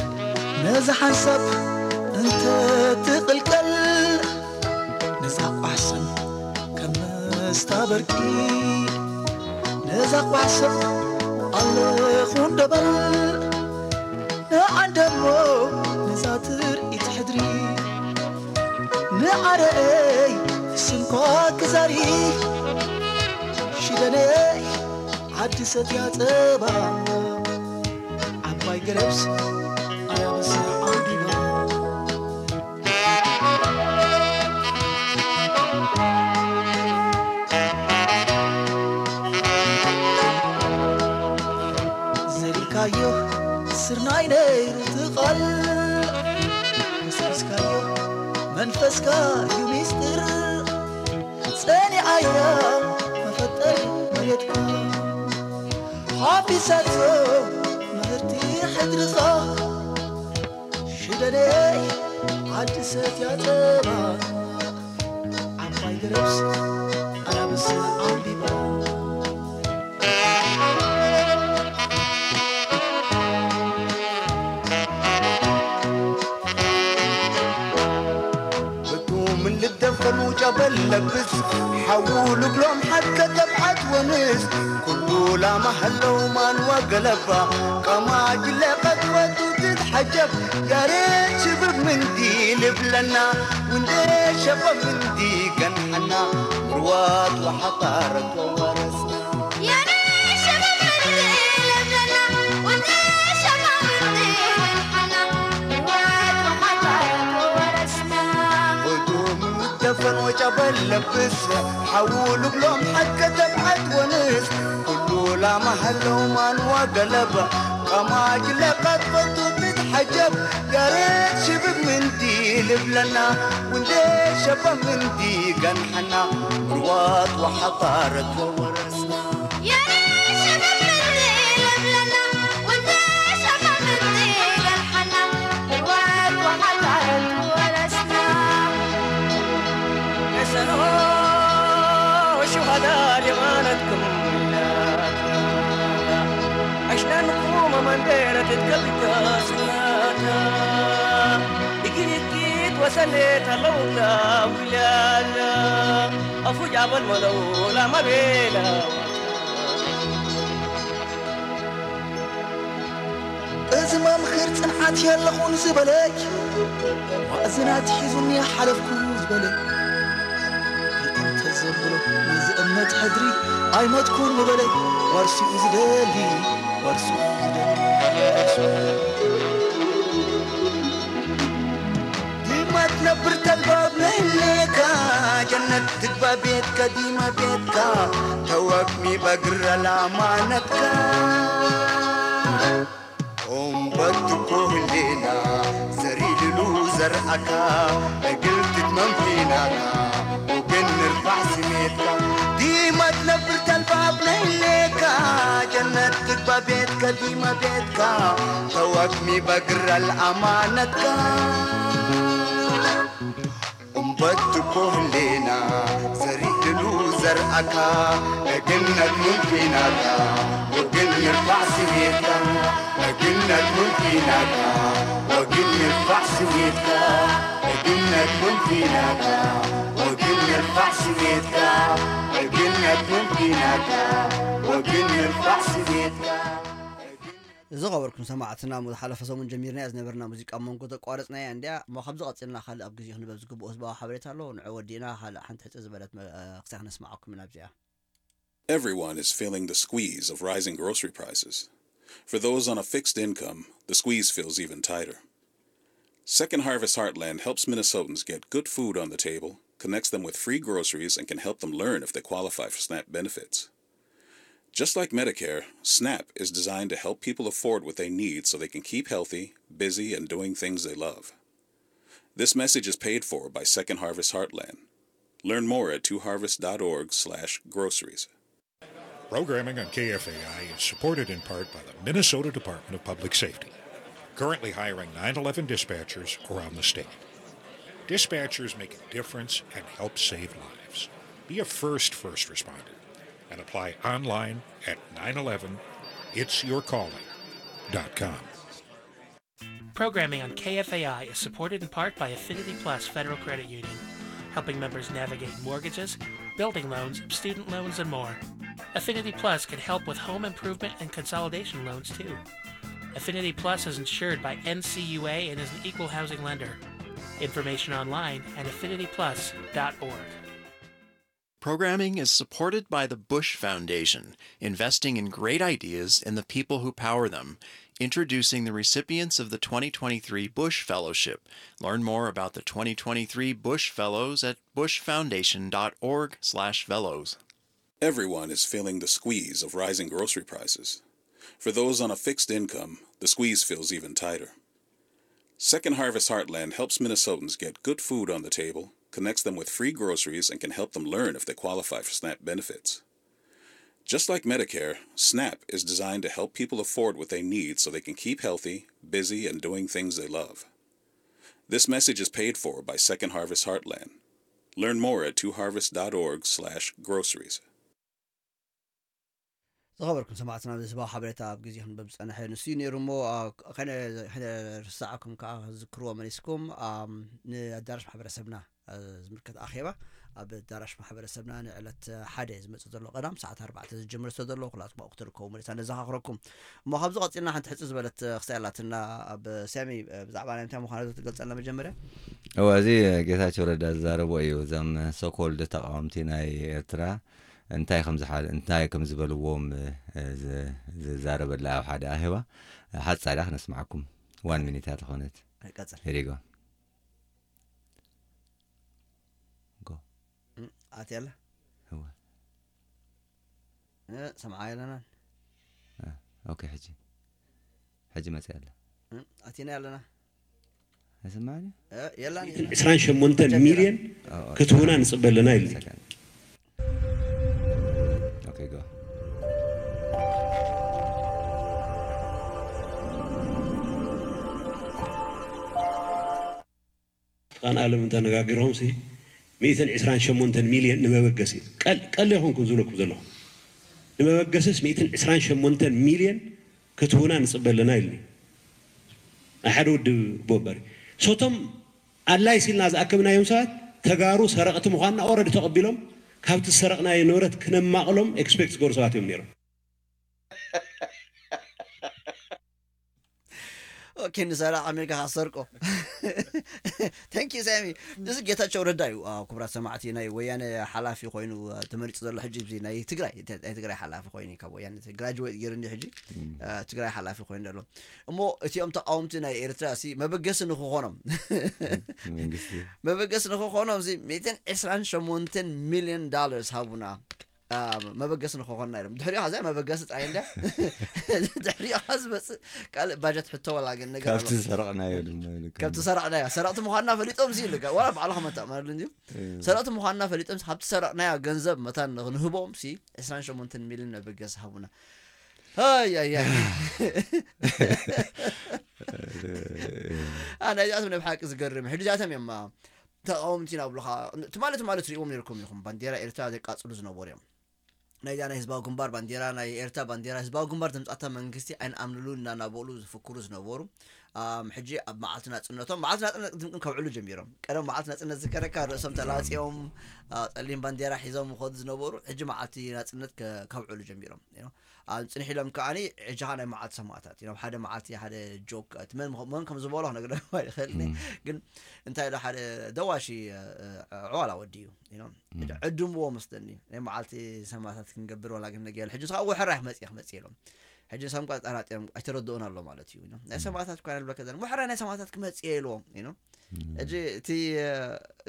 ነዛ ሓንሳብ እንተ ትቕልቀል ነዛ ቋሕስም ከም መስታ በርቂ ነዛ ቋሕስም ኣለኹ እንደበል ንዓንደሞ ነዛ ትርኢት ሕድሪ ንዓረአይ ስምኳ ክዛሪ ሽደነይ ዓዲ ሰትያ ጸባ ዓባይ ገረብስ ኣያበስ ዓንዲባ ዘሪእካዮ ስርናይ ነይሩ ትቐል ምስካዮ መንፈስካ እዩ ሚስጥር ጸኒዓያ መፈጠር መሬትካ ሓፊሳቶ ምህርቲ ሕድርኻ ሽደነይ ዓዲ ሰትያ ጸባ ዓባይ ገረብስ ኣናብስ ዓንቢባ ምን ልደፈኑ ጨበል ለብስ ሓዉ ልብሎም ሓድከ ተብዓት ወንስ ኩሉ ላማ ሃለው ማንዋ ገለባ ቃማ ጅለ ቀጥወቱ ትትሓጀብ ያሬድ ሽብብ ምንዲ ልብለና ውንደ ሸበብ ምንዲ ገንሐና ምርዋት ወሓጣረት ወወረስና ጨበል ለብስ ሓዉ ልብሎም ሓቀ ተብዓት ወንስ ኩሉ ላማ ሃለው ማን ወገለባ ቀማጅ ለቀጥፈቱ ብትሓጀብ ያሬድ ሽብብ ምንዲ ልብለና ውንዴ ሸባ ምንዲ ገንሐና ምርዋት ወሓጣረት ወወረስና Esano shuhada limanatkum. Ashnan kuma mandera titkabika sunata. Ikirikit wasanet halawla wilala. Afu jabal malawla mabela. እዚ መምክር ጽንዓት የለኹን ዝበለይ ማእዝናት ሒዙኒ ሓለፍኩ ዝበለይ እንተ ዘብሎ ነዚ እምነት ሕድሪ ኣይሞትኩን ዝበለይ ዋርሲኡ ዝደሊ ዋርሲኡ ዝደሊ ዲማ ትነብር ተልባብ ነይኔካ ጀነት ትግባ ቤትካ ዲማ ቤትካ ተወክሚ በግረ ላማነትካ ኦምበት እኮ ህሌና ዘሪልሉ ዘርኣካ እግል ትትመም ፊናና ወገን ንርፋዕ ስሜትካ ዲማ ትነብር ተልባብ ነይኔካ ጀነት ትግባ ቤትካ ዲማ ቤትካ ተወክሚ በግረ ልኣማነትካ እምበት እኮ ህሌና ዘሪእሉ ዘርኣካ እግነት ምንፊናካ ወግን ይርፋዕ ስሜትካ እግነት ምንፊናካ ወግን ይርፋዕ ስሜትካ እግነት ምንፊናካ ወግን ይርፋዕ ስሜትካ እግነት ምንፊናካ ወግን ይርፋዕ ስሜትካ ዝኸበርኩም ሰማዕትና፣ ዝሓለፈ ሰሙን ጀሚርናያ ዝነበርና ሙዚቃ ኣብ መንጎ ተቋረጽናያ እንድያ እሞ፣ ካብዚ ቀጺልና ካልእ ኣብ ግዜኡ ክንበብ ዝግብኦ ህዝባዊ ሓበሬታ ኣሎ። ንዑ ወዲእና ካልእ ሓንቲ ሕጽር ዝበለት መ-፣ ክሳዕ ክነስምዓኩም ኢና ኣብዚኣ። Everyone is feeling the squeeze of rising grocery prices. For those on a fixed income, the squeeze feels even tighter. Second Harvest Heartland helps Minnesotans get good food on the table, connects them with free groceries, and can help them learn if they qualify for SNAP benefits. Just like Medicare, SNAP is designed to help people afford what they need so they can keep healthy, busy, and doing things they love. This message is paid for by Second Harvest Heartland. Learn more at two harvest dot org slash groceries. Programming on K F A I is supported in part by the Minnesota Department of Public Safety, currently hiring nine eleven dispatchers around the state. Dispatchers make a difference and help save lives. Be a first first responder and apply online at nine eleven it's your calling dot com. Programming on K F A I is supported in part by Affinity Plus Federal Credit Union, helping members navigate mortgages, building loans, student loans, and more. Affinity Plus can help with home improvement and consolidation loans too. Affinity Plus is insured by N C U A and is an equal housing lender. Information online at affinity plus dot org. Programming is supported by the Bush Foundation, investing in great ideas and the people who power them. Introducing the recipients of the twenty twenty-three Bush Fellowship. Learn more about the twenty twenty-three Bush Fellows at bush foundation dot org slash fellows. Everyone is feeling the squeeze of rising grocery prices. For those on a fixed income, the squeeze feels even tighter. Second Harvest Heartland helps Minnesotans get good food on the table, connects them with free groceries, and can help them learn if they qualify for SNAP benefits. Just like Medicare, SNAP is designed to help people afford what they need so they can keep healthy, busy, and doing things they love. This message is paid for by Second Harvest Heartland. Learn more at two harvest dot org slash groceries. ዝኸበርኩም ሰማዕትና፣ ንህዝባዊ ሓበሬታ ኣብ ግዜ ክንበብ ዝጸንሐ ንሱ እዩ ነይሩ እሞ፣ አ፣ ከነ-፣ ከነርስዓኩም ከኣ ዝክርዎ መሊስኩም፣ ኣም፣ ንኣዳራሽ ማሕበረሰብና፣ አ፣ ዝምልከት ኣኼባ ኣብ ኣዳራሽ ማሕበረሰብና ንዕለት ሓደ ዝመጽእ ዘሎ ቀዳም ሰዓት ኣርባዕተ ዝጅምር ስለ ዘሎ፣ ኩላትኩም ኣብኡ ክትርከቡ መሊስና ነዘኻኽረኩም። እሞ ካብዚ ቀጺልና ሓንቲ ሕጽር ዝበለት ክሳይ ኣላትና። ኣብ ሳሚ፣ ብዛዕባ ናይ እንታይ ምዃኑ ትገልጸልና መጀመርያ? እወ፣ እዚ ጌታቸው ረዳ ዝዛረቦ እዩ። እዞም ሶኮልድ ተቃወምቲ ናይ ኤርትራ እንታይ ከም ዝሓ-፣ እንታይ ከም ዝበልዎም፣ እ፣ ዝ-፣ ዝዛረበላ ኣብ ሓደ ኣኼባ ሓጻር እያ ክነስምዓኩም። ዋን ሚኒት እያ ተኾነት። ቀጽል። Here you go. Go. ኣትያ ኣላ። እወ። እ፣ ሰምዓ ኣለና። ኦኬ፣ ሕጂ፣ ሕጂ መጽእ ኣላ። እ፣ ኣቲና ኣለና። ኣይሰማዕን እዩ። እ፣ የላን። ሚእትን ዕስራን ሸሞንተን ሚልዮን ክትህቡና ንጽበ ኣለና ኢሉ። ሰከንድ። ኦኬ፣ ጎ። ቃን ኣለም እንተነጋጊሮም ሲ ሚእትን ዕስራን ሸሞንተን ሚልዮን ንመበገሲ፣ ቀል-፣ ቀል ይኹንኩም ዝብለኩም ዘለኹ። ንመበገስስ ሚእትን ዕስራን ሸሞንተን ሚልዮን ክትህቡና ንጽበ ኣለና ኢሉኒ። ናይ ሓደ ውድብ ቦምበሪ። ሶቶም ኣድላይ ሲልና ዝኣከብናዮም ሰባት ተጋሩ ሰረቕቲ ምዃንና ኦረዲ ተቐቢሎም፣ ካብቲ ዝሰረቕናዮ ንብረት ክነማቕሎም ኤክስፔክት ዝገብሩ ሰባት እዮም ነይሮም። ኦኬ፣ ንሰራቕ ኣሜሪካ ካሰርቆ። Thank you ሳሚ። እዚ ጌታቸው ረዳ እዩ። ኣዎ፣ ክቡራት ሰማዕቲ፣ ናይ ወያነ ሓላፊ ኮይኑ፣ አ፣ ተመሪጹ ዘሎ ሕጂ፣ እዚ ናይ ትግራይ፣ ናይ ትግራይ ሓላፊ ኮይኑ እዩ፣ ካብ ወያነ ግራጅዌት ገይሩ እንዲ ሕጂ፣ አ፣ ትግራይ ሓላፊ ኮይኑ ዘሎ። እሞ እቲኦም ተቃወምቲ ናይ ኤርትራ ሲ መበገሲ ንክኾኖም፣ መንግስቲ መበገሲ ንክኾኖም ሲ ሚእትን ዕስራን ሸሞንተን ሚልዮን ዳላርስ ሃቡና፣ አ፣ መበገሲ ንክኾንና ኢሎም። ድሕሪኡ ከዛ መበገሲ ጥራይ እንድያ። ድሕሪኡ ከ ዝመጽእ ካልእ ባጀት ሕቶ ዋላ ግን ነገር ኣሎ። ካብቲ ዝሰረቕናዮ ድማ ኢሉ ከም ካብቲ ሰረቕናዮ፣ ሰረቕቲ ምዃንና ፈሊጦም ሲ ኢሉ፣ ዋላ ባዕሉ ከመታእመረሉ እንድዩ። ሰረቕቲ ምዃንና ፈሊጦም፣ ካብቲ ሰረቕናዮ ገንዘብ መታን ንህቦም ሲ ዕስራን ሸሞንተን ሚልዮን መበገሲ ሃቡና። ኣይ፣ ኣይ፣ ኣይ። ኣነ እዚኣቶም ናይ ብሓቂ ዝገርም። ሕጂ እዚኣቶም እዮም፣ አ፣ ተቃወምቲ ኢና ብሉኻ። ትማሊ፣ ትማሊ ትሪእዎም ነርኩም ኢኹም። ባንዴራ ኤርትራ ዘቃጽሉ ዝነበሩ እዮም። ናይዛ ናይ ህዝባዊ ግንባር ባንዴራ፣ ናይ ኤርትራ ባንዴራ፣ ህዝባዊ ግንባር ዘምጻእታ መንግስቲ ኣይንኣምንሉን እናናበሉ ዝፍክሩ ዝነበሩ፣ ኣም፣ ሕጂ ኣብ መዓልቲ ናጽነቶም፣ መዓልቲ ናጽነት ቅድም ከብዕሉ ጀሚሮም። ቀደም መዓልቲ ናጽነት ዝከረካ ርእሶም ተላጽዮም፣ አ፣ ጸሊም ባንዴራ ሒዞም ይኸዱ ዝነበሩ፣ ሕጂ መዓልቲ ናጽነት ከ-፣ ከብዕሉ ጀሚሮም። You know? ኣብ ጽንሕ ኢሎም ከዓኒ፣ ሕጂ ኸዓ ናይ መዓልቲ ሰማእታት እዩ። ናብ ሓደ መዓልቲ ሓደ ጆክ፣ እቲ መን ምኸ-፣ መን ከም ዝበሎ ክነግረኩም ኣይኽእልን እየ። ግን እንታይ ኢሉ ሓደ ደዋሺ፣ እ፣ እ፣ ዕዋላ ወዲ እዩ። You know? ዕድምዎ መስለኒ። ናይ መዓልቲ ሰማእታት ክንገብር ዋላ ግን ነገ ኢሉ። ሕጂ ንስኻ ወሕራይ ክመጽእ እየ ክመጽእ ኢሎም። ሕጂ ንሳም ቃ ጠራጢሮም ኣይተረድኦን ኣሎ ማለት እዩ። You know? ናይ ሰማእታት እኳ ንብለካ ዘለና። ወሕራይ ናይ ሰማእታት ክመጽእ እየ ኢልዎም። You know? ሕጂ እቲ፣ እ፣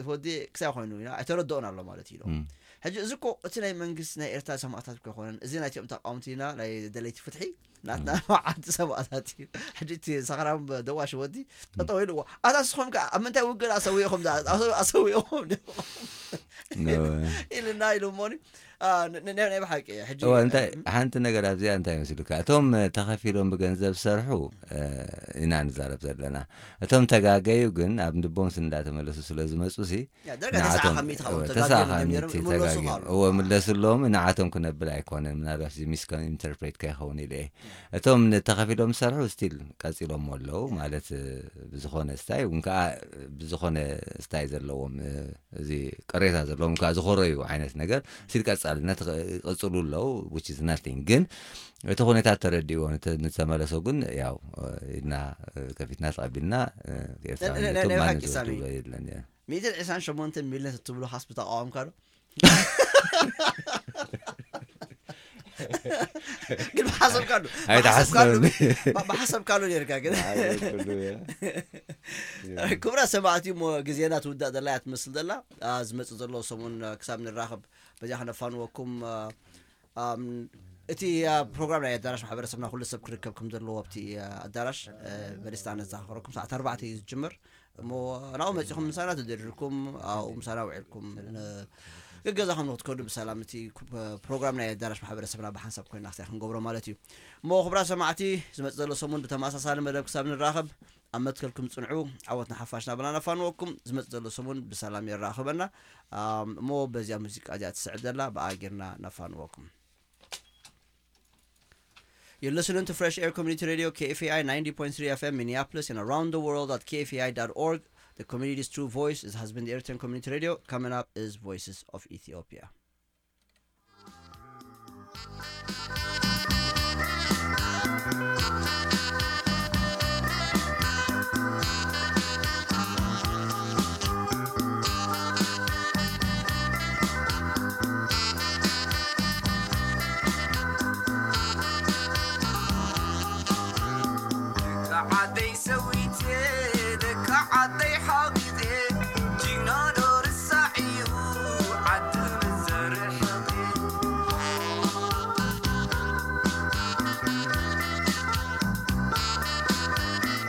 ወዲ ክሳይ ኮይኑ፣ you know? ኣይተረድኦን ኣሎ ማለት እዩ ኢልዎም። ሕጂ እዚ እኮ እቲ ናይ መንግስቲ ናይ ኤርትራ ሰማእታት እኮ ኣይኮነን። እዚ ናይቲኦም ተቃወምቲ ኢና፣ ናይ ደለይቲ ፍትሒ፣ ናትና መዓልቲ ሰማእታት እዩ። ሕጂ እቲ ሰኽራም ደዋሽ ወዲ ጠጠው ኢልዎ። ኣታ ንስኹም ከ ኣብ ምንታይ ውግን ኣሰዊእኹም ዳ-፣ ኣሰ-፣ ኣሰዊእኹም ዲኹም? ኢልና ኢሉ እሞኒ። አ፣ ን-፣ ን-፣ ናይ ብሓቂ ሕጂ እዋ፣ እንታይ ሓንቲ ነገር ኣብዚኣ እንታይ መስሉካ? እቶም ተኸፊሎም ብገንዘብ ዝሰርሑ፣ እ፣ ኢና ንዛረብ ዘለና። እቶም ተጋገዩ ግን ኣብ ልቦም እንዳተመለሱ ስለ ዝመጹ ሲ ያ፣ ደረጃ ተስዓ ንዓቶም፣ ካብ ሚእቲ ካብኡ እወ፣ ተጋግዮም ተስዓ ካብ ነይሮም፣ ሚእቲ ይምለሱ ተጋግዮም። ኣለዉ። እወ፣ ምለስሎም፣ ንዓቶም ክነብል ኣይኮነን። ምናልባት እዚ ሚስ ኢንተርፕሬት ከይኸውን ኢለ እየ። እቶም ንተኸፊሎም ዝሰርሑ ስቲል ቀጺሎም ኣለዉ። ማለት፣ እ፣ ብዝኾነ ስታይ፣ እውን ከኣ ብዝኾነ ስታይ ዘለዎም፣ እ፣ እዚ ቅሬታ ዘለዎም ከኣ ዝኾረዩ ዓይነት ነገር ስቲል ቀጻልነት ቕ-፣ ይቕጽሉ ኣለዉ፣ which is nothing። ግን እቲ ኩነታት ተረዲእዎ ንተ-፣ ንተመለሶ ግን ያው፣ እ፣ ኢድና፣ እ፣ ከፊትና ተቐቢልና፣ እ፣ ኤርትራውያን ናይ፣ ናይ፣ ነቶም ናይ ማንም ሓቂ ሳሚ። ዝወስድዎ የለን፣ ያ። ሚእትን ዕስራን ሸሞንተን ሚልዮን እትብሉ ኻስ ብተቃወምካ ዶ? ግን ብሓሰብካ ዶ? ኣይተሓስበን። ብሓሰብካ ዶ? ብ-፣ ብሓሰብካ ዶ ነርካ ግን? ክቡራት ሰማዕቲ፣ እሞ ግዜና ትውዳእ ዘላ እያ ትመስል ዘላ። አ፣ ዝመጽእ ዘሎ ሰሙን፣ አ፣ ክሳብ ንራኸብ በዚኣ ከነፋንወኩም፣ አ፣ ኣም፣ እቲ፣ አ፣ ፕሮግራም ናይ ኣዳራሽ ማሕበረሰብና ኩሉ ሰብ ክርከብ ከም ዘለዎ ኣብቲ፣ አ፣ ኣዳራሽ፣ አ፣ በሊስታ ነዘኻኽረኩም። ሰዓት ኣርባዕተ እዩ ዝጅምር። እሞ ናብኡ መጺኹም ምሳና ተደሪርኩም፣ ኣብኡ ምሳና ውዒልኩም፣ ን-፣ ገገዛኹም ንክትከዱ ብሰላም እቲ ኩ-፣ ፕሮግራም ናይ ኣዳራሽ ማሕበረሰብና ብሓንሳብ ኮይና ክሳይ ክንገብሮ ማለት እዩ። እሞ ክቡራት ሰማዕቲ፣ ዝመጽእ ዘሎ ሰሙን ብተመሳሳሊ መደብ ክሳብ ንራኸብ፣ ኣብ መትከልኩም ጽንዑ፣ ዓወት ንሓፋሽ ናበልና ነፋንወኩም። ዝመጽእ ዘሎ ሰሙን ብሰላም የራኽበና። ኣም፣ እሞ በዚኣ ሙዚቃ እዚኣ ትስዕብ ዘላ ብኣ ጌርና ነፋንወኩም። You're listening to Fresh Air Community Radio, K F A I ninety point three F M, Minneapolis, and around the world at K F A I dot org. The community's true voice is, has been the Eritrean Community Radio. Coming up is Voices of Ethiopia.